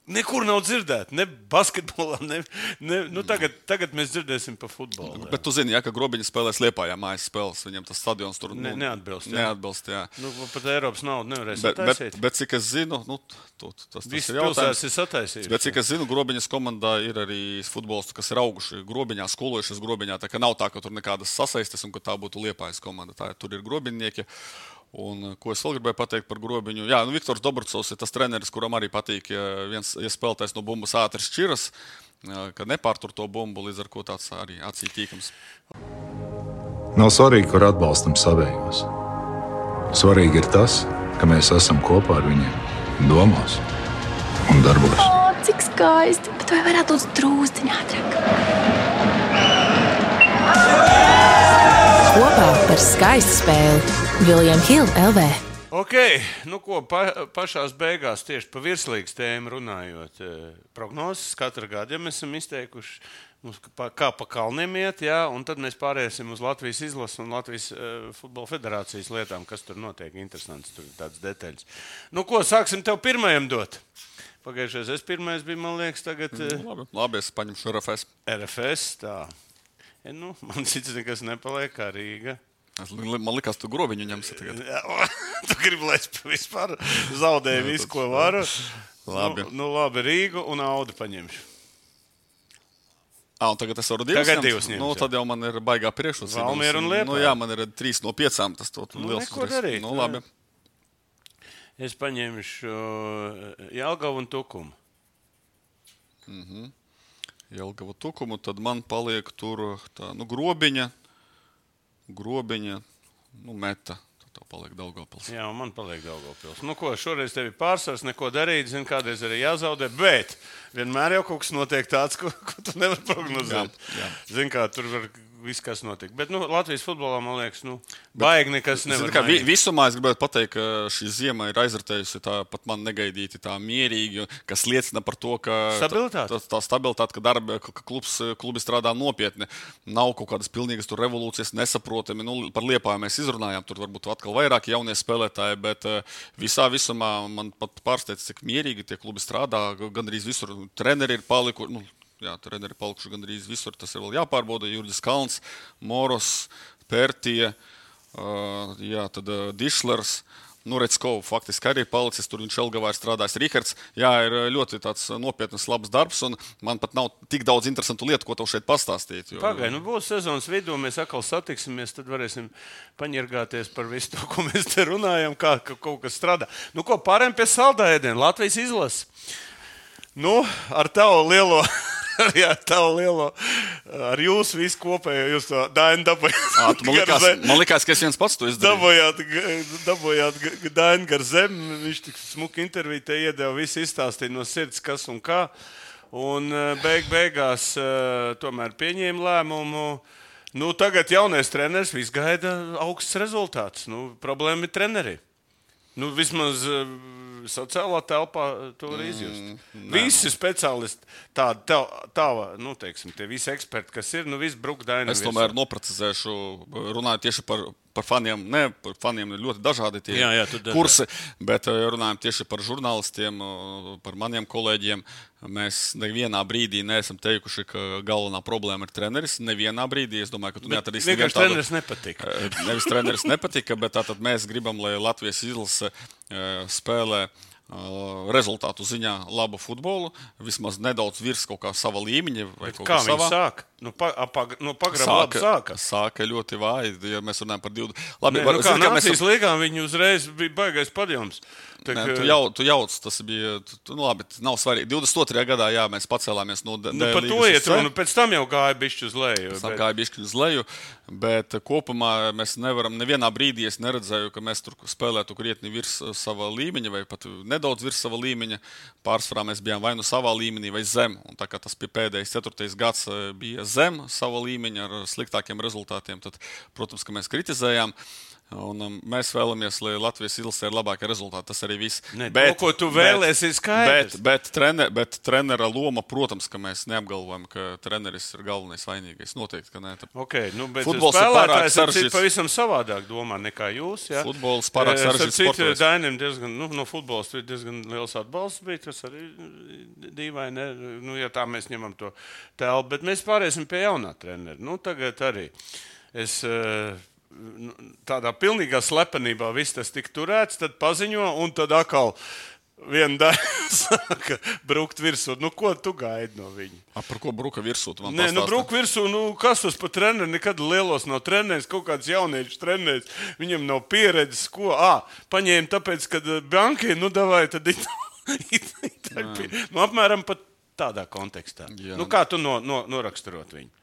Nekur nav dzirdēt, ne basketbolā, ne, ne nu tagad, tagad mēs dzirdēsim par futbolu. Bet tu zini, ja, ka Grobiņa spēlēs Liepājā mājas spēles, viņam tas stadions tur ne, neatbilst. Jā. Neatbilst, jā. Nu, pat Eiropas naudu nevarēs bet, sataisīt. Bet, bet cik es zinu, nu, tu, tas, tas Viss ir jautājums. Ir sataisījuši. Bet cik es zinu, Grobiņas komandā ir arī futbolisti, kas ir auguši Grobiņā, skolojušies Grobiņā, tā ka nav tā, ka tur nekādas sasaistes un ka tā būtu Liepājas komanda. Tā, tur ir Grobiņnieki. Un, ko es vēl gribēju pateikt par Grobiņu? Jā, nu, Viktors Dobrcovs ir tas treneris, kuram arī patīk, ja viens ja spēlētājs no bumbas ātri šķiras, ka nepārtur to bumbu, līdz ar ko tāds arī acī tīkams. Nav svarīgi, kur atbalstam savējos. Svarīgi ir tas, ka mēs esam kopā ar viņiem domās un darbos. O, cik skaisti, bet vai varētu būt drūzdiņā ātrāk? Kopā par skaistu spēli William Hill L V. Ok, nu ko, pa, pašās beigās tieši pa virslīgas tēmu runājot. Prognozes katru gadu, ja mēs esam izteikuši, mums pa, kā pa kalniem iet, jā, un tad mēs pāriesim uz Latvijas izlases un Latvijas uh, futbola federācijas lietām, kas tur notiek, interesants, tur ir tāds detaļas. Nu ko, sāksim tev pirmajam dot. Pagājušais es pirmais biju, man liekas, tagad... Uh, labi, labi, es paņemšu R F S. R F S, tā. Ja, nu, man cits nekas nepaliek kā Rīga. Man likās, tu Grobiņu ņemsi tagad. Tu gribi, lai es vispār zaudēju visu, ko varu. Labi. Nu, nu labi, Rīgu un Audu paņemšu. Ā, un tagad es varu divas tagad ņemt? divas ņemt, nu, tad jau man ir baigā priekšrocība. Valmiera un Liepāja. Nu, jā, man ir trīs no piecām. Tas to nu, liels neko darīt. Nu, labi. Es paņemšu Jelgavu un Tukumu. Mhm. Jelgavu Tukumu, tad man paliek tur tā, nu, Grobiņa, Grobiņa, nu, Meta. Tad tev paliek Daugavpils. Jā, un man paliek Daugavpils. Nu, ko, šoreiz tev ir pārsvars, neko darīt, zin, kādreiz arī jāzaudē, bet vienmēr jau kaut kas notiek tāds, ko, ko tu nevar prognozēt. Jā, jā. Zin, kā tur var viss, kas notika. Bet, nu, Latvijas futbolā, man liekas, nu, baigi nekas nevar kā, mainīt. Visumā es gribētu pateikt, ka šī ziema ir aizritējusi tā pat man negaidīti tā mierīgi, kas liecina par to, ka Stabilitāte. tā, tā stabilitāte, ka darba, ka klubs, klubi strādā nopietni. Nav kaut kādas pilnīgas tur revolūcijas, nesaprotami. Nu, par Liepāju mēs izrunājām, tur varbūt atkal vairāk jaunie spēlētāji, bet visā visumā man pat pārsteidz, cik mierīgi tie klubi strādā. Gandrīz visur treneri ir palikuši. Nu, Jā, treneri palikuši gandrīz visur, tas ir vēl jāpārbauda. Jurģis Kalns, Moros, Pērtie, uh, jā, tad uh, Dišlers, nu, Reckovs faktiski arī palicis, tur viņš Elgavā ir strādājis. Rihards, jā, ir ļoti tāds nopietnas labs darbs, un man pat nav tik daudz interesantu lietu, ko tev šeit pastāstīt. Jo... Pagai, nu būs sezonas vidū, mēs atkal satiksimies, tad varēsim paņirgāties par visu to, ko mēs te runājam, kā ka kaut kas strādā. Nu, ko, pārējām pie saldā ēdiena, Latvijas izlases. Nu, ar tavu lielo... Arī ar tavu lielo, ar jūsu visu kopējo, jūs to Dainu dabūjāt. Man likās, man likās, ka es viens pats to izdarīju. Dabūjāt, dabūjāt Dainu gar zemi, viņš tik smuki interviju te iedeva, visu izstāstīja no sirds, kas un kā. Un beig beigās tomēr pieņēma lēmumu. Nu, tagad jaunais treneris viss gaida augsts rezultāts. Nu, problēma ir treneri. Nu, vismaz sociālā telpā to var izjust. Mm, visi speciālisti, tādi, tā, tā, nu, teiksim, tie visi eksperti, kas ir, nu, visi bruk Dainu. Es tomēr noprecizēšu, runāju tieši par, par faniem. Ne, par faniem ir ļoti dažādi tie jā, jā, kursi, bet runājam tieši par žurnālistiem, par maniem kolēģiem. Mēs nevienā brīdī neesam teikuši, ka galvenā problēma ir treneris. Nevienā brīdī, es domāju, ka tu neatradīsi nevienu tādu. Treneris nepatika. Nevis treneris nepatika, bet tātad mēs gribam, lai Latvijas izlase spēlē rezultātu ziņā labu futbolu, vismaz nedaudz virs kaut kā sava līmeņa. Vai kaut kā viņi savā... sāk? Nu, pa, pag, nu pagraba labi sāka. Sāka ļoti vāji, ja mēs runājam par divdesmit. Labi, Nē, var, nu kā zin, Nācijas mēs... līgā viņi uzreiz bija baigais padjums. Tā, Nē, tu, jau, tu jauc, tas bija, tu, nu labi, nav svarīgi. divdesmit otrajā gadā, jā, mēs pacēlāmies no D līgas. Nu, par to iet runa, pēc tam jau gāja bišķi uz leju. Pēc tam bet... gāja bišķi uz leju, bet kopumā mēs nevaram, nevienā brīdī es neredzēju, ka mēs tur spēlētu krietni virs sava līmeņa vai pat nedaudz virs sava līmeņa. Pārsvarā mēs bijām vai nu savā līmenī vai zem, un tā kā tas pēdējais ceturtais gads bija zem sava līmeņa ar sliktākiem rezultātiem, tad, protams, ka mēs kritizējām. Un um, mēs vēlamies, lai Latvijas izlasē ir labākie rezultāti. Tas arī viss. Ne, bet, to, ko tu vēlēsi, ir skaidrs. Bet, bet, trener, bet trenera loma, protams, ka mēs neapgalvojam, ka treneris ir galvenais vainīgais. Noteikti, ka nē. Okay, nu, bet futbols ir pārāk sarežģīts. Pavisam savādāk domā nekā jūs. Ja? Futbols pārāk sarežģīts sports. Dainam diezgan, nu, no futbols diezgan liels atbalsts bija. Tas arī dīvaini, nu, ja tā mēs ņemam to tēlu. Bet mēs pārēsim pie jaunā trenera. Nu, tagad arī es... tādā pilnīgā slepenībā viss tas tika turēts, tad paziņo, un tad atkal viena daļa sāka brukt virsū. Nu, ko tu gaidi no viņa? A, par ko bruka virsū? Nē, nu, bruk virsū, nu, kas tas pa treneri? Nekad lielos nav treneris, kaut kāds jauniečs treneris. Viņam nav pieredzes, ko? Ā, paņēma tāpēc, kad bankai, nu, davai, tad it, it, it, it, nu, apmēram pat tādā kontekstā. Jā. Nu, kā tu no, no, noraksturot viņu?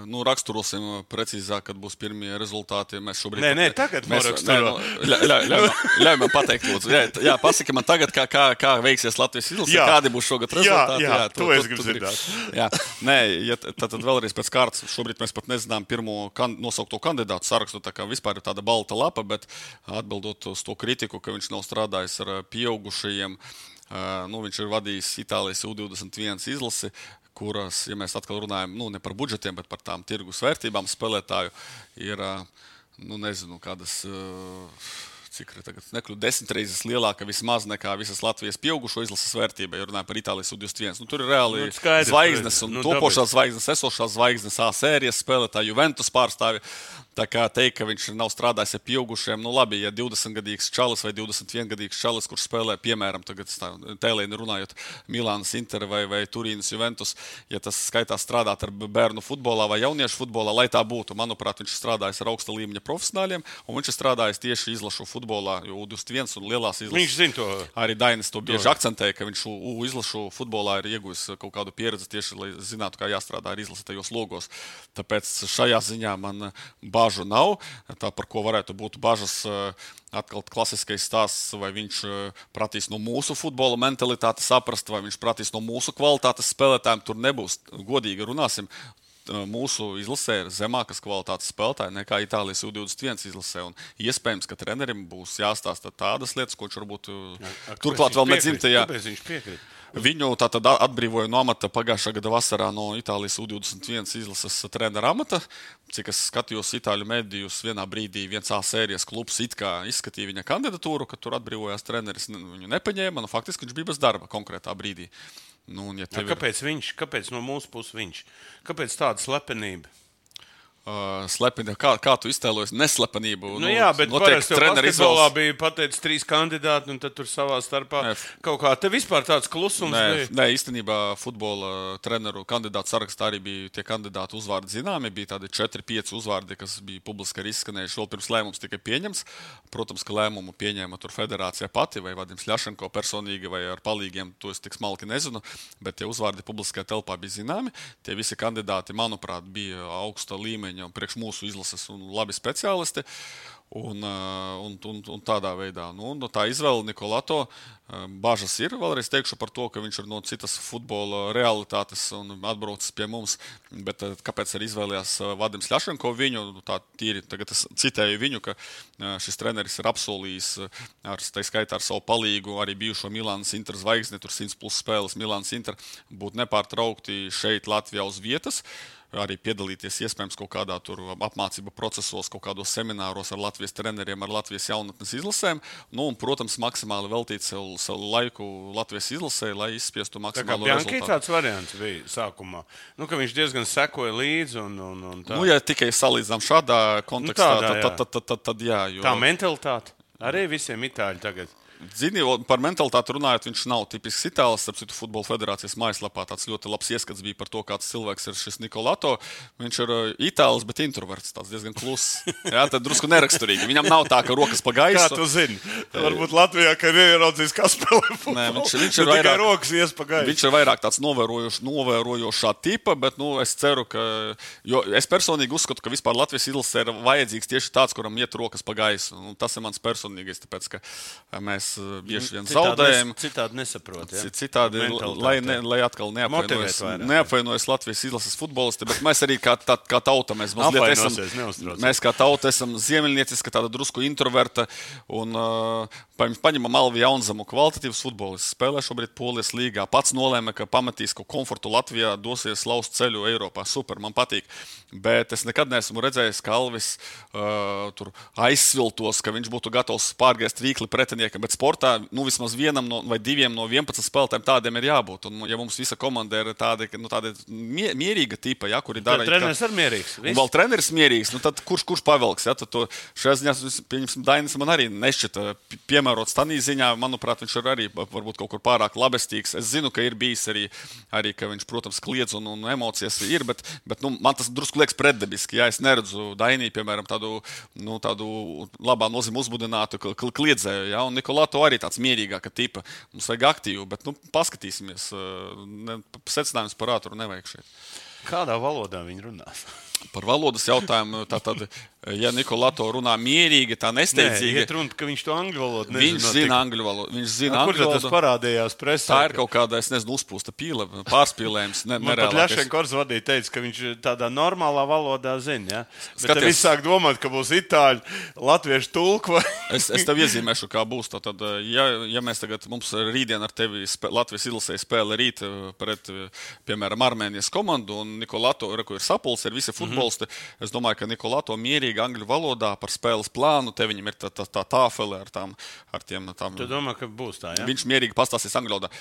Nu, raksturosim precīzāk, kad būs pirmie rezultāti. Mēs šobrīd... Nē, nē, tagad noraksturo. Ļauj, ļauj, ļauj man pateikt, lūdzu. Jā, jā, pasaki man tagad, kā, kā, kā veiksies Latvijas izlase, kādi būs šogad rezultāti. Jā, jā, jā, to, to es gribu zināt. Jā, nē, ja, tad, tad vēlreiz pēc kārtas. Šobrīd mēs pat nezinām pirmo kan, nosaukto kandidātu sarakstu, tā kā vispār ir tāda balta lapa, bet atbildot uz to kritiku, ka viņš nav strādājis ar pieaugušajiem, nu, viņš ir vadījis Itālijas U divdesmit viens izlasi, kuras, ja mēs atkal runājam, nu, ne par budžetiem, bet par tām tirgus vērtībām spēlētāju, ir, nu, nezinu, kādas, cik ir tagad, nekļūt desmit reizes lielāka vismaz nekā visas Latvijas pieaugušo izlases vērtība, ja runājam par Itālijas U divdesmit viens. Nu, tur ir reāli nu, skaidrs, zvaigznes un nu, topošās zvaigznes, esošās zvaigznes, A sērijas spēlētāji, Juventus pārstāvi. Tā kā teikt, ka viņš nav strādājis ar pieaugušiem, nu labi, ja divdesmitgadīgs čalis vai divdesmit viengadīgs čalis, kurš spēlē, piemēram, tagad tēlēni runājot Milānas Inter vai, vai Turīnas Juventus, ja tas skaitās strādāt ar bērnu futbolā vai jauniešu futbolā, lai tā būtu, manuprāt, viņš strādājis ar augsta līmeņa profesionāļiem, un viņš ir strādājis tieši izlašu futbolā, jo U divdesmit viens un lielās izlases. Viņš zina to. Arī Dainis to bieži akcentēja, ka viņš U izlašu futbolā ir iegūjis kaut kādu pieredzi tieši, lai zinātu, kā jāstrādā ar izlasi tajos logos. Tāpēc šajā ziņā man bāžu nav. Tā, par ko varētu būt bažas, atkal klasiskais stāsts, vai viņš pratīs no mūsu futbola mentalitātes saprast, vai viņš pratīs no mūsu kvalitātes spēlētājiem. Tur nebūs, godīgi runāsim, mūsu izlasē ir zemākas kvalitātes spēlētāji nekā Itālijas U divdesmit viens izlasē. Un iespējams, ka trenerim būs jāstāsta tādas lietas, ko viņš varbūt A, turklāt vēl nedzimtajā. Kāpēc viņš piekrīt? Viņu tātad atbrīvoja no amata pagājušā gada vasarā no Itālijas U divdesmit viens izlases trenera amata. Cik es skatījos itāļu medijus, vienā brīdī viens A sērijas klubs it kā izskatīja viņa kandidatūru, kad tur atbrīvojās treneris, viņu nepaņēma, nu faktiski viņš bija bez darba konkrētā brīdī. Nu, ja ja, kāpēc ir... viņš? Kāpēc no mūsu puses viņš? Kāpēc tāda slepenība? Uh, slepeni, kā, kā tu iztēlojies neslepenību? Nu, jā, bet parasti jau basketbolā bija pateicis trīs kandidāti, un tad tur savā starpā Nē. kaut kā. Te vispār tāds klusums Nē, bija. Nē, īstenībā futbola treneru kandidātu sarakstā arī bija tie kandidātu uzvārdi zināmi. Bija tādi četri pieci uzvārdi, kas bija publiski arī izskanējuši vēl pirms lēmums tikai pieņems. Protams, ka lēmumu pieņēma tur federācija pati vai Vadims Ļašenko personīgi vai ar palīgiem, to es tik smalki nezinu, bet tie uzvārdi publiskajā telpā bija zināmi. Tie visi kandidāti, manuprāt, bija augsta līmeņa un priekš mūsu izlases un labi speciālisti. Un, un, un, un tādā veidā. Nu, un tā izvēle Nikolato bažas ir. Vēlreiz teikšu par to, ka viņš ir no citas futbola realitātes un atbraucis pie mums. Bet kāpēc arī izvēlējās Vadims Ļašenko viņu? Tā tīri, tagad es citēju viņu, ka šis treneris ir apsolījis ar, tā skaitā ar savu palīgu arī bijušo Milānas Inter zvaigzni, tur simts plus spēles Milānas Inter, būt nepārtraukti šeit Latvijā uz vietas. Arī piedalīties iespējams kaut kādā tur apmācību procesos, kaut kādos semināros ar Latvijas treneriem, ar Latvijas jaunatnes izlasēm. Nu, un, protams, maksimāli veltīt savu, savu laiku Latvijas izlasē, lai izspiestu maksimālu rezultātu. Tā kā tāds variants bija sākumā. Nu, ka viņš diezgan sekoja līdzi un, un, un tā. Nu, ja tikai salīdzinām šādā kontekstā, nu, tādā, tad, tad, tad, tad, tad jā. Jo... Tā mentalitāte arī visiem itāļi tagad. Zini, par mentalitāti runājot, viņš nav tipisks itālis. Starp citu, Futbola federācijas mājaslapā tāds ļoti labs ieskats bija par to, kāds cilvēks ir šis Nikolato. Viņš ir itālis, bet introverts, tāds diezgan kluss. Jā, tad drusku neraksturīgi. Viņam nav tā, ka rokas pa gaisu. Kā tu zini? Varbūt Latvijā, ka ir ieraudzījis, kā spēlē futbolu. Nē, viņš, viņš ir vairāk, rokas ies pa gaisu. Viņš ir vairāk tāds novērojošs, novērojošā tipa, bet nu, es ceru, ka... Jo es personīgi uzskatu, ka vispār Latvijas izlasē ir vajadzīgs tieši tāds, kuram iet rokas pa gaisu. Un tas ir mans personīgais, tāpēc, ka mēs bieži vien zaudējam. Citādi nesaprot, ja? Citādi, lai, ne, lai atkal neapvainojas, neapvainojas Latvijas izlases futbolisti, bet mēs arī kā, tā, kā tauta, mēs mazliet esam, mēs kā tauta esam ziemeļnieciska, tāda drusku introverta, un uh, paņemam Alvi Jaunzamu, kvalitatīvs futbolists, spēlē šobrīd Polijas līgā, pats nolēma, ka pamatīs kaut komfortu Latvijā, dosies laust ceļu Eiropā, super, man patīk, bet es nekad neesmu redzējis, ka Alvis uh, tur aizsviltos, ka viņš būtu gatavs pārgriezt rīkli pretiniekam, bet sportā nu, vismaz vienam no, vai diviem no vienpadsmit spēlētājiem tādiem ir jābūt. Un, ja mums visa komanda ir tāda, nu, tāda mie, mierīga tipa, ja, kuri dara... Treneris ir mierīgs. Un vēl treneris mierīgs, nu tad kurš, kurš pavelks? Ja, tad to šajā ziņā, pieņemsim, Dainis man arī nešķita piemērots tanī ziņā. Manuprāt, viņš ir arī varbūt kaut kur pārāk labestīgs. Es zinu, ka ir bijis arī, arī ka viņš, protams, kliedz un, un emocijas ir, bet, bet nu, man tas drusku liekas pretdabiski. Ja, es neredzu Dainī, piemēram, tādu, nu, tādu labā nozīme uzbudinātu kliedzēju. Ja, un Nikolato arī tāds mierīgāka tipa. Mums vajag aktīvu, bet nu, paskatīsimies. Ne, secinājums par ātru nevajag šeit. Kādā valodā viņi runās? Par valodas jautājumu, tātad, ja Nikolato runā mierīgi, tā nesteidzīgi. Nē, iet runa, ka viņš to angļu valodu nezina. Viņš zina angļu valodu. Viņš zina A, angļu valodu. Kur tas parādījās presē? Tā ir kaut kāda, es nezinu, uzpūsta pīle, pārspīlējums. Ne, Man pat Ļašenkors vadīja teica, ka viņš tādā normālā valodā zina. Ja? Bet tad viss sāk domāt, ka būs itāļu, latviešu tulku. Vai... es, es tev iezīmēšu, kā būs. Tad, ja, ja mēs tagad, mums rītdien ar tevi spē, Latvijas izlasē spēle rīt pret, piemēram, Armēnijas komandu, un Nikolato, reku, ir sapuls, ir visi futbolisti. Mm-hmm. Es domāju, ka Nikolato mierīgi angļu valodā par spēles plānu, te viņam ir tā, tā, tā tāfele ar tām, ar tiem, tām. Tu domā, ka būs tā, ja? Viņš mierīgi pastāstīs angļu valodā.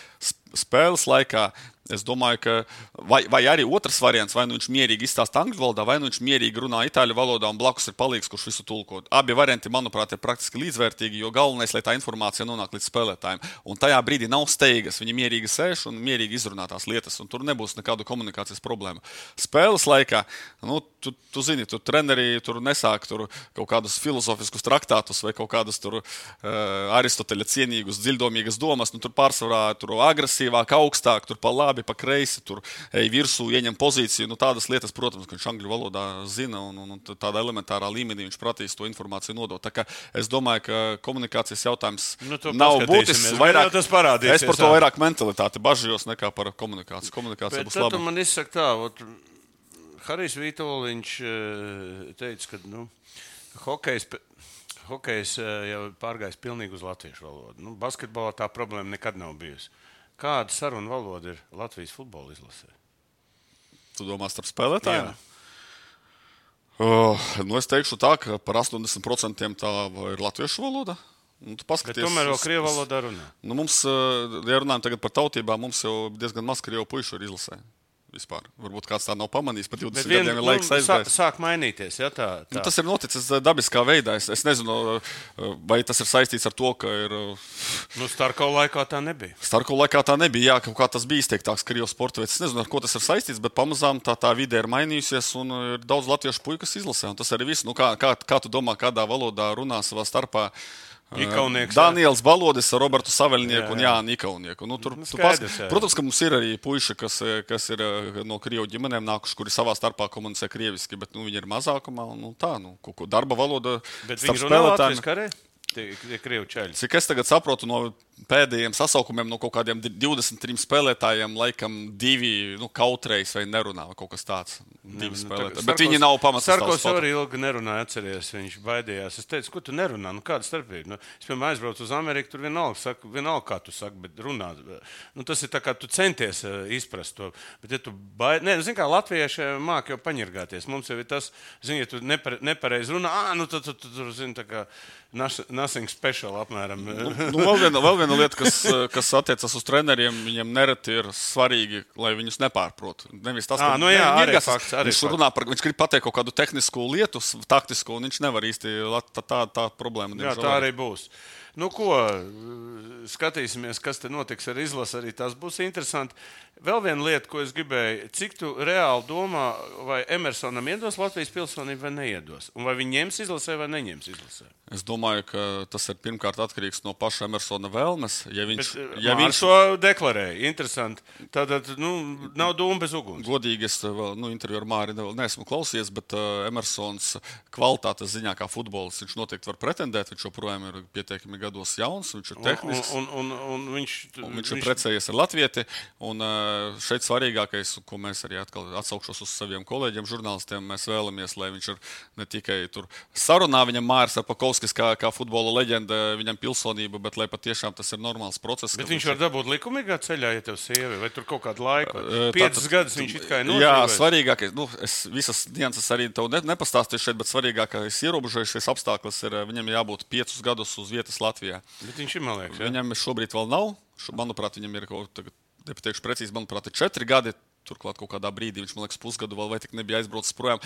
Spēles laikā es domāju, ka vai, vai arī otrs variants, vai nu viņš mierīgi izstāsta angļu valodā, vai nu viņš mierīgi runā itāļu valodā un blakus ir palīgs, kurš visu tulko. Abi varianti, manuprāt, ir praktiski līdzvērtīgi, jo galvenais, lai tā informācija nonāk līdz spēlētājiem. Un tajā brīdī nav steigas, viņi mierīgi sēž un mierīgi izrunā tās lietas, un tur nebūs nekādu komunikācijas problēmu. Spēles laikā, nu, tu, tu zini, tu treneri tur nesāk tur kaut kādus filozofiskus traktātus vai kaut kādus tur uh, Aristoteļa cienīgus, dziļdomīgas domas, nu, tur pārsvarā tur agresīvāk, augstāk, tur pa labi, pa kreisi, tur ej virsū, ieņem pozīciju. Nu, tādas lietas, protams, ka viņš angļu valodā zina un, un, un tādā elementārā līmenī viņš prasīs to informāciju nodot. Tā kā es domāju, ka komunikācijas jautājums nu, nav būtisks. Vairāk, tas parādīsies. Es par to vairāk mentalitāti bažījos nekā par komunikāciju. Komunikācija Bet būs laba. Bet tad man izsaka tā, ot, Harijs Vītoliņš teica, ka nu, hokejs, hokejs jau pārgājis pilnīgi uz latviešu valodu. Nu, basketbolā tā problēma nekad nav bijusi. Kāda saruna valoda ir Latvijas futbola izlasē? Tu domā starp spēlētājiem? Uh, nu es teikšu tā, ka par astoņdesmit procentiem tā ir latviešu valoda. Nu, bet tomēr vēl krievu valodā runā. Nu, mums, ja runājam tagad par tautībām, mums jau diezgan maz krievu puišu ir izlasē. Vispār. Varbūt kāds tā nav pamanījis, pat divdesmit vien, gadiem ir laiks aizgājis. Sāk mainīties, ja tā, tā. Nu, tas ir noticis dabiskā veidā. Es, es nezinu, vai tas ir saistīts ar to, ka ir... Nu, Starkova laikā tā nebija. Starkova laikā tā nebija, jā, kaut kā tas bija izteiktāks Krievijas sporta veids. Es nezinu, ar ko tas ir saistīts, bet pamazām tā, tā vide ir mainījusies un ir daudz latviešu puikas izlasē. Un tas arī viss. Nu, kā, kā, kā tu domā, kādā valodā runā savā starpā? Ikaunieks, Daniels Balodis ar Robertu Saveļnieku jā, jā. un Jānu Ikaunieku. Nu, tur, Skaidrs, pas... Protams, ka mums ir arī puiši, kas, kas ir no Krievu ģimenēm nākuši, kuri savā starpā komunicē krieviski, bet nu, viņi ir mazākumā. Un, nu, tā, nu, darba valoda bet viņi runā latviešu karē? Tie, tie krievu čaļi. Cik es tagad saprotu no pēdējiem sasaukumiem, no kaut kādiem divdesmit trim spēlētājiem, laikam divi nu, kautreiz vai nerunā, vai kaut kas tāds. Divi spēlētāji. Bet Sarkos, viņi nav pamatas. Sarkos arī ilgi nerunāja, atceries, viņš baidījās. Es teicu, ko tu nerunā? Nu, kāda starpība? Nu, es, piemēram, aizbraucu uz Ameriku, tur vienalga, saku, vienalga kā tu saki, bet runā. Nu, tas ir tā kā tu centies uh, izprast to. Bet, ja tu baid... Nē, nu, zin kā, latvieši māk jau paņirgāties. Mums jau ir tas, zin, ja tu nepare, nepareiz runā, ā, nu, tu, tu, tu, tu, zin, tā kā nothing special apmēram. Nu, nu, vēl, viena, vēl viena lieta, kas, kas attiecas uz treneriem, viņiem nereti ir svarīgi, lai viņus nepārprot. Nevis tas, à, ka nu jā, ne, arī fakts, arī viņš, fakts. runā par, viņš grib pateikt kaut kādu tehnisku lietu, taktisku, un viņš nevar īsti, tā, tā, tā problēma. Jā, tā arī būs. Nu ko, skatīsimies, kas te notiks ar izlasi, arī tas būs interesanti. Vēl viena lieta, ko es gribēju, cik tu reāli domā, vai Emersonam iedos Latvijas pilsonību vai neiedos? Un vai viņi ņems izlasē vai neņems izlasē? Es domāju, ka tas ir pirmkārt atkarīgs no paša Emersona vēlmes. Ja viņš, Bet, ja viņš to deklarēja, interesanti. Tātad, nu, nav dūma bez uguns. Godīgi, es vēl, nu, interviju ar Māri vēl neesmu klausies, bet uh, Emersons kvalitātes ziņā kā futbolis, viņš noteikti var pretendēt, viņš joprojām ir pietiekami gados jauns, viņš ir tehnisks. Un, un, un, un viņš, un viņš, viņš viņš ir precējies ar latvieti, un uh, šeit svarīgākais, ko mēs arī atkal atsaukšos uz saviem kolēģiem, žurnālistiem, mēs vēlamies, lai viņš ir ne tikai tur sarunā, viņam Māris Arpakovskis kā, kā futbola leģenda, viņam pilsonība, bet lai patiešām tas ir normāls process. Bet viņš var dabūt likumīgā ceļā, ja tev sievi, vai tur kaut kādu laiku? Piecas gadus viņš it kā ir nodzīvējis. Jā, svarīgākais, nu, es visas nianses arī tev ne, nepastāstīšu šeit, bet svarīgākais ierobežojušies apstākļus ir, viņam jābūt piecus gadus uz vietas Latvijā. Bet viņš ir, man liekas, ja? Viņam šobrīd vēl nav, manuprāt, viņam ir kaut tagad, nepateikšu precīzi, manuprāt, ir četri gadi. Turklāt kaut kādā brīdī viņš, man liekas, pusgadu vēl vai tik nebija aizbraucis projām.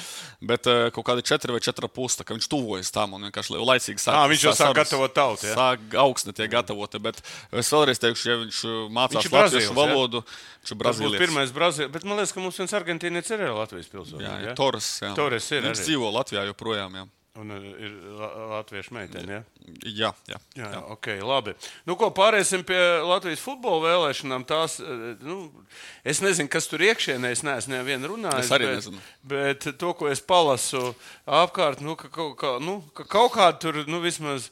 Bet uh, kaut kādi četri vai četri pūsta, ka viņš tuvojas tam un vienkārši laicīgi sāk. À, viņš jau sāk gatavot tautu, ja? Sāk augstne tie gatavoti, bet es vēlreiz teikšu, ja viņš mācās latviešu valodu, viņš ir brazīlietis. Tas būs pirmais brazīlietis, bet man liekas, ka mums viens argentīnietis ir Latvijas pilsonis. Jā, ja? Torres, jā. Torres ir viņš arī. Dzīvo Latvijā joprojām, jā. Un ir latviešu meitene, ja? Jā, jā. Jā, jā. Ok, labi. Nu, ko, pārēsim pie Latvijas futbola vēlēšanām. Tās, nu, es nezinu, kas tur iekšienē, es neesmu nevienu runājis. Es arī bet, nezinu. Bet to, ko es palasu apkārt, nu, ka, ka, nu, ka kaut kādi tur, nu, vismaz,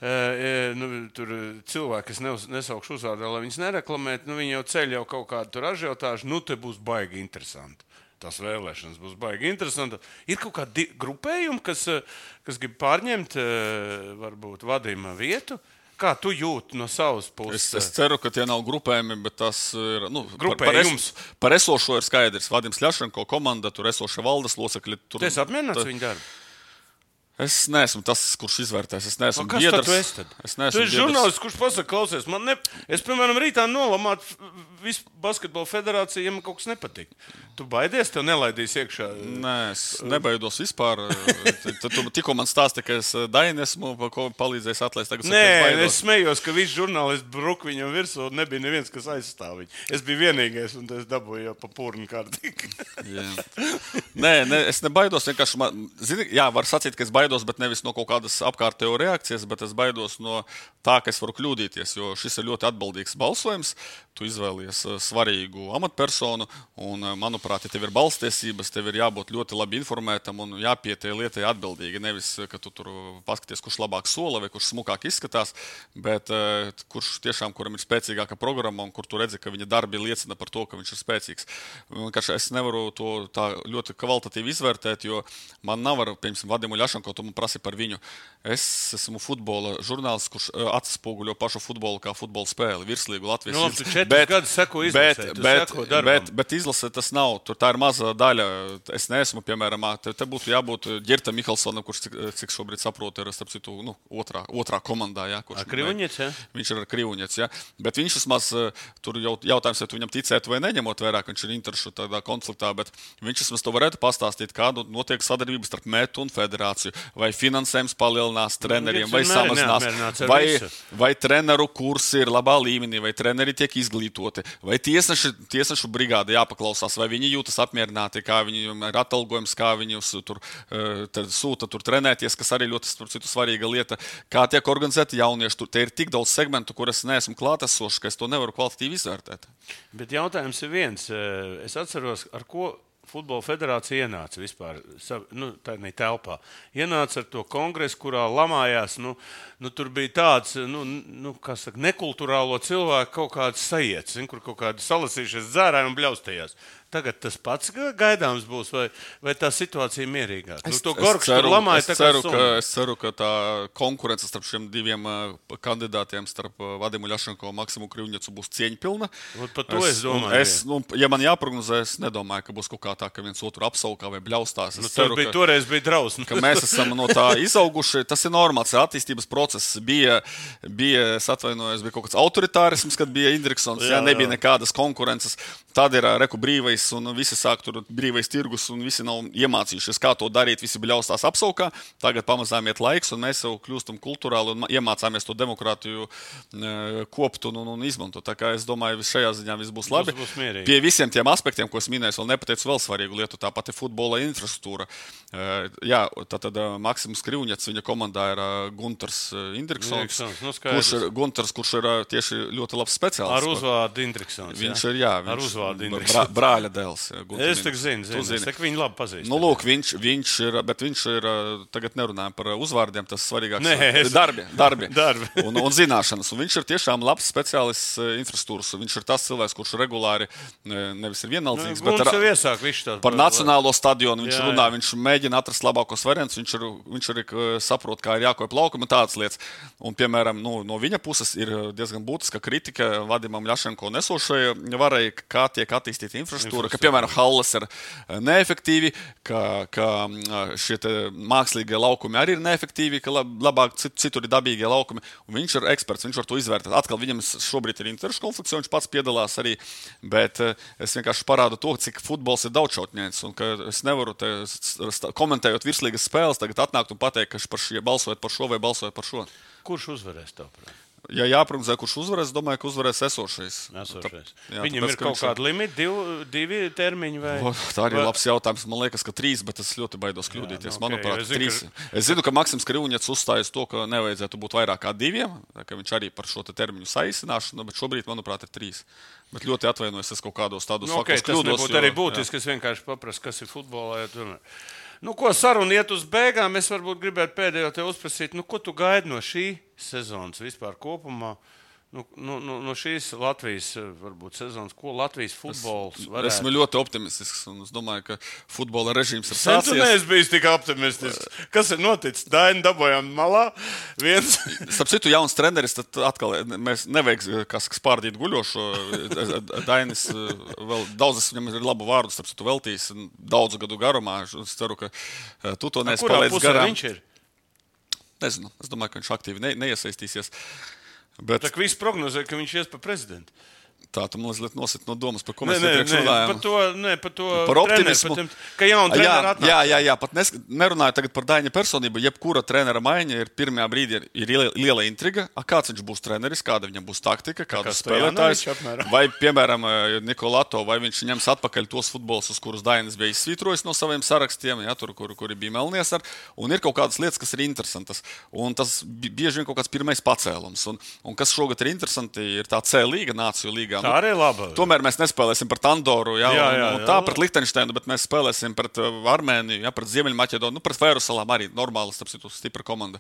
e, nu, tur cilvēki, kas neuz, nesaukšu uzvārdā, lai viņus nereklamētu, nu, viņi jau ceļ jau kaut kādu tur ažiotāžu, nu, te būs baigi interesanti. Tās vēlēšanas būs baigi interesanti. Ir kaut kādi grupējumi, kas, kas grib pārņemt varbūt vadījuma vietu. Kā tu jūti no savas puses? Es, es ceru, ka tie nav grupējumi, bet tas ir. Nu, grupējums. Par, par, es, par esošo ir skaidrs. Vadims Ļašenko komanda, tur esošie valdes locekļi. Tu esi apmierināts viņu darbu? Es neesmu tas, kurš izvērtēs. Es neesmu kas biedrs. Tu esi tad? Es neesmu tu esi biedrs. žurnālists, kurš pasaka, klausies, man ne... Es, piemēram, rītā nolamātu visu basketbola federāciju, ja man kaut kas nepatīk. Tu baidies, tev nelaidīs iekšā? Nē, es nebaidos vispār. Tad tu tikko man stāsti, ka es Daini esmu, ko palīdzējis atlaist. Tagad Nē, saka, es, es smējos, ka visi žurnālisti bruk viņam virsū, un nebija neviens, kas aizstāv viņu. Es biju vienīgais, un es dabūju jau pa purnu kārtīgi. Nē, ne, es nebaidos. Vienkārši, man, zini, jā, var sacīt, ka es baidos, bet nevis no kaut kādas apkārtējo reakcijas, bet es baidos no tā, ka es varu kļūdīties, jo šis ir ļoti atbildīgs balsojums. Tu izvēlies svarīgu amatpersonu. Un, manuprāt, ja tev ir balstiesības, tev ir jābūt ļoti labi informētam un jāpiet tai lietai atbildīgi. Nevis, ka tu tur paskaties, kurš labāk sola vai kurš smukāk izskatās, bet kurš tiešām, kuram ir spēcīgāka programma un kur tu redzi, ka viņa darbi liecina par to, ka viņš ir spēcīgs. Es nevaru to tā ļoti kvalitatīvi izvērtēt, jo man nav, piemēram, Vadimu Ļašanko, tu man prasi par viņu. Es esmu futbola žurnālists, kurš atspoguļo pašu futbolu kā futbola spēli, virslīgu Latvijas. No, tu četrus gadus seko izlasē, tu bet, seko darbam. Bet, bet izlasē tas nav, tur tā ir maza daļa. Es neesmu, piemēram, te, te būtu jābūt Ģirta Mihalsonam, kurš, cik, cik šobrīd saprotu, ir starp citu, nu, otrā, otrā komandā. Jā, kurš, ar Krivuņets, jā? Viņš ir ar Krivuņets, jā. Bet viņš vismaz, tur jau jautājums, vai tu viņam ticētu vai neņemot vairāk, viņš ir interešu tādā konfliktā, bet viņš vismaz to varētu pastāstīt, kādu notiek sadarbības starp Metu un federāciju, vai finansējums palielinās treneriem, vai samazinās, vai, vai treneru kursi ir labā līmenī, vai treneri tiek izglītoti, vai tiesneši, tiesnešu brigāde jāpaklausās, vai viņi jūtas apmierināti, kā viņiem ir atalgojums, kā viņi tur sūta tur trenēties, kas arī ļoti citu svarīga lieta, kā tiek organizēti jaunieši. Tur, te ir tik daudz segmentu, kur es neesmu klātesošs, ka es to nevaru kvalitatīvi izvērtēt. Bet jautājums ir viens. Es atceros, ar ko Futbola federācija ienāca vispār, nu, tā ir telpā. Ienāca ar to kongresu, kurā lamājās, nu, nu tur bija tāds, nu, nu kā saka, nekulturālo cilvēku kaut kāds sajiets, kur kaut kādi salasījušies dzērāji un bļaustējās. Tagad tas pats gaidāms būs, vai, vai tā situācija mierīgāk? Es, nu, to Gorgs tur lamāja es, tā kā ceru, summa. ka, es ceru, ka tā konkurence starp šiem diviem uh, kandidātiem, starp uh, Vadimu Ļašanko un Maksimu Krivuņecu būs cieņpilna. Par to es, es domāju. Es, nu, ja man jāprognozē, es nedomāju, ka būs kaut kā tā, ka viens otru apsaukā vai bļaustās. Es nu, ceru, bija, ka, toreiz bija drausmas. Ka mēs esam no tā izauguši. Tas ir normāls attīstības process. Bija, bija es atvainojos, bija kaut kāds autoritārisms, kad bija Indriksons, jā, jā, nebija nekādas konkurences. Tad ir reku brīvais un visi sāk tur brīvais tirgus un visi nav iemācījušies, kā to darīt, visi bļaustās apsaukā. Tagad pamazām iet laiks un mēs jau kļūstam kulturāli un iemācāmies to demokrātiju kopt un, un, un izmantot. Tā kā es domāju, šajā ziņā viss būs labi. Būs, būs Pie visiem tiem aspektiem, ko es minēju, vēl nepateicu vēl svarīgu lietu, tā pati futbola infrastruktūra. Jā, tātad Maksims Krivuņets, viņa komandā ir Gunters Indriksons, nu, kurš ir Gunters, kurš ir tieši ļoti labs speciālists. Ar uzvārdu Indriksons. Viņš ir, jā, viņš Brā, brāļa dēls. Es tak zinu, zinu. zinu. Es tak viņu labi pazīstu. Nu, lūk, viņš, viņš ir, bet viņš ir, tagad nerunājam par uzvārdiem, tas svarīgāks. Nē, es... Darbi, darbi. darbi. un, un zināšanas. Un viņš ir tiešām labs speciālists infrastruktūras. Viņš ir tas cilvēks, kurš regulāri nevis ir vienaldzīgs, nu, bet ar, iesāk, tā, par nacionālo stadionu viņš jā, runā, jā. Viņš mēģina atrast labākos variantus, viņš, ir, viņš arī saprot, kā ir jākoja plaukumi un tādas lietas. Un, piemēram, nu, no viņa puses ir diezgan būtiska kritika Vadimam Ļašanko nesošai varai, kā tiek attīstīta infrastruktūra, ka, piemēram, halles ir neefektīvi, ka, ka šie mākslīgie laukumi arī ir neefektīvi, ka labāk citur ir dabīgie laukumi. Un viņš ir eksperts, viņš var to izvērtēt. Atkal viņam šobrīd ir interešu konflikts, viņš pats piedalās arī, bet es vienkārši parādu to, cik futbols ir daudzšautņains, un ka es nevaru te, komentējot virslīgas spēles, tagad atnākt un pateikt, ka par šie, balsojot par šo vai balsojot par šo. Kurš uzvarēs tavuprāt? Ja jāprognozē, kurš uzvarēs, domāju, ka uzvarēs esošais. esošais. Tā, jā, Viņam tāpēc, ir kaut kāda limita, divi, divi termiņi vai? O, tā arī ir vai... labs jautājums. Man liekas, ka trīs, bet es ļoti baidos kļūdīties. Jā, nu, Manuprāt, okay, trīs. Ka... Es zinu, ka Maksims Krivuņets uzstājas to, ka nevajadzētu būt vairāk kā diviem, ka viņš arī par šo te termiņu saīsināšanu, bet šobrīd, manuprāt, ir trīs. Bet ļoti atvainojos, es kaut kādos tādos nu, okay, faktos kļūdos. Tas nebūtu arī būtiski, es vienkārši paprasu, kas ir futbolā. Ja nu, ko saruna iet uz beigām, es varbūt gribētu pēdējo te uzprasīt, nu, ko tu gaidi no šī sezonas vispār kopumā? Nu, nu, nu, no šīs Latvijas varbūt sezonas, ko Latvijas futbols varētu? Es esmu ļoti optimistisks un es domāju, ka futbola režīms ir sācies. Sen tu neesi bijis tik optimistisks. Kas ir noticis? Daini dabojām malā. Viens. Starp citu, jauns treneris, tad atkal mēs nevajag kas spārdīt guļošo. Dainis vēl daudzas viņam ir labu vārdu, starp citu veltījis daudzu gadu garumā. Es ceru, ka tu to neesi palaidis garām. Viņš ir? Nezinu. Es domāju, ka viņš aktīvi ne, neiesaistīsies. Bet... Tā kā viss prognozē, ka viņš ies pa prezidentu. Tā, tu man liekas nosit no domas, par ko mēs nē, iepriekš nē, runājam. Par to, nē, par to par optimismu. Treneru, par tiem, ka jauna trenera atnāk. Jā, jā, jā, pat nes, nerunāju tagad par Daņa personību. Jebkura trenera maiņa ir pirmajā brīdī ir, ir liela, liela intriga. A, kāds viņš būs treneris, kāda viņam būs taktika, kādas spēlētājs. Vai, piemēram, Nikolato, vai viņš ņems atpakaļ tos futbols, uz kurus Daņas bija izsvītrojis no saviem sarakstiem, jā, tur, kur, kuri bija melnies ar. Un ir kaut kādas lietas, kas ir interesantas. Un tas bieži vien kaut kāds pirmais pacēlums. Un, un kas šogad ir interesanti, ir tā C līga, Nāciju līgā. Tā arī laba. Tomēr mēs nespēlēsim pret Andoru, jā, Jā, un, jā, un jā. tā pret Lihtenšteinu, bet mēs spēlēsim pret uh, Armēniju, jā, pret Ziemeļmaķedoniju, nu, pret Fērusalām arī normāli, starp citu, stipra komanda.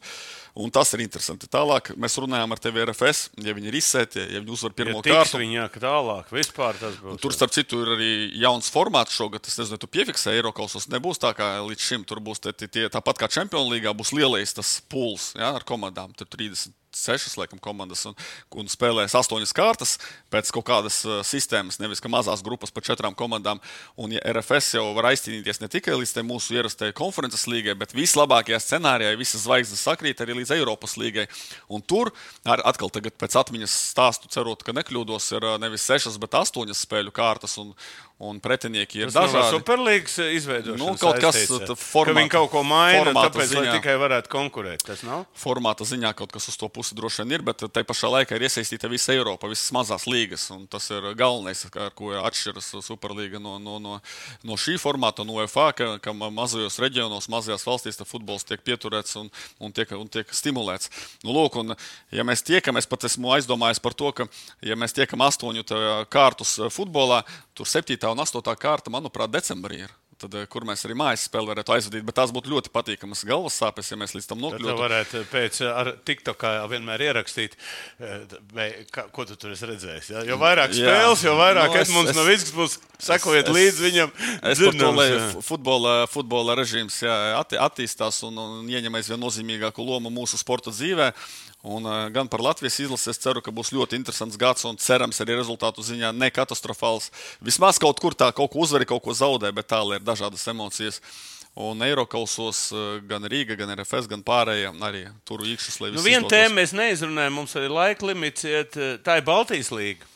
Un tas ir interesanti. Tālāk mēs runājām ar tevi R F S, ja viņi ir izsēti, ja viņi uzvar pirmo ja kārtu. Viņa, ka tālāk, vispār tas būs. Un tur, starp citu, ir arī jauns formāts šogad. Es nezinu, tu piefiksē Eirokausos. Nebūs tā kā līdz šim. Tur būs tie, tie, tāpat kā Champions Līgā, būs lielais tas pools, jā, ar komandām. Tur trīsdesmit sešas, laikam, komandas un, un spēlēs astoņas kārtas pēc kaut kādas uh, sistēmas, nevis ka mazās grupas pa četrām komandām. Un ja R F S jau var aizcīnīties ne tikai līdz mūsu ierastajai konferences līgai, bet vislabākajā scenārijā visas zvaigznes sakrīt arī līdz Eiropas līgai. Un tur ar, atkal tagad pēc atmiņas stāstu cerot, ka nekļūdos, ir uh, nevis sešas, bet astoņas spēļu kārtas un un pretinieki ir tas dažādi. Superlīgas izveidošanas Nu, kaut kas formāta, ka viņi kaut ko maina, tāpēc, ziņā, lai tikai varētu konkurēt. Tas nav? Formāta ziņā kaut kas uz to pusi droši vien ir, bet tai pašā laikā ir iesaistīta visa Eiropa, visas mazās līgas, un tas ir galvenais, ar ko atšķiras Superlīga no, no, no, no šī formāta, no U E F A, ka, ka mazajos reģionos, mazajās valstīs futbols tiek pieturēts un, un, tiek, un tiek stimulēts. Nu, lūk, un, ja mēs tiekam, es pat esmu aizdomājies par to, ka, ja mēs tiekam astoņu kārtus futbolā, tur septītā un astotā kārta, manuprāt, decembrī ir. Tad, kur mēs arī mājas spēli varētu aizvadīt, bet tās būtu ļoti patīkamas galvas sāpes, ja mēs līdz tam nokļūtu. Tad varētu pēc ar TikTokā vienmēr ierakstīt, vai, kā, ko tu tur esi redzējis. Ja? Jo vairāk spēles, jo vairāk no, Edmunds es, Novickis būs, sekojiet es, līdz viņam. Es par to, lai futbola, futbola režīms jā, atti, attīstās un, un ieņem aizvien nozīmīgāku lomu mūsu sporta dzīvē. Un, uh, gan par Latvijas izlasi es ceru, ka būs ļoti interesants gads un cerams arī rezultātu ziņā ne katastrofāls. Vismaz kaut kur tā kaut ko uzvari, kaut ko zaudē, bet tālāk ir dažādas emocijas. Un Eirokausos uh, gan Rīga, gan R F S, gan pārējie arī tur īkšas, lai viss nu, vienu tēmu mēs neizrunājam, mums arī laika limits iet, tā ir Baltijas līga.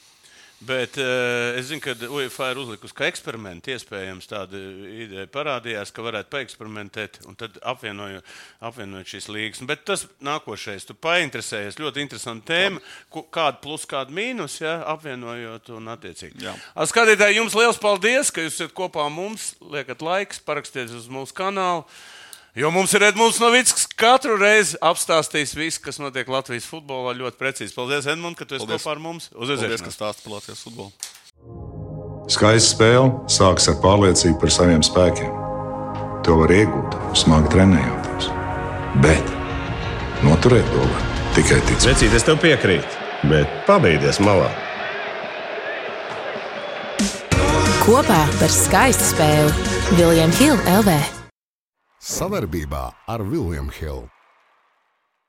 Bet uh, es zinu, ka U E F A ir uzlikusi, ka eksperimenti iespējams tāda ideja parādījās, ka varētu paeksperimentēt un tad apvienojot, apvienojot šīs līgas. Bet tas nākošais, tu painteresējies, ļoti interesanta tēma, kāda plus, kāda mīnus, ja, apvienojot un attiecīgi. Jā. Skatītāji, jums liels paldies, ka jūs esat kopā mums, liekat laiks, parakstieties uz mūsu kanālu. Jo mums ir Edmunds Novickis, katru reizi apstāstīs visu, kas notiek Latvijas futbolā ļoti precīzi. Paldies, Edmund, ka tu esi kopā ar mums. Uz Paldies, ka stāsti par Latvijas futbolu. Skaista spēle sākas ar pārliecību par saviem spēkiem. To var iegūt, smagi trenējoties. Bet noturēt to var tikai ticēt. Vecīt, es tev piekrītu, bet pabeigties malā. Kopā par skaistu spēli William Hill L V. Savarbībā ar William Hill.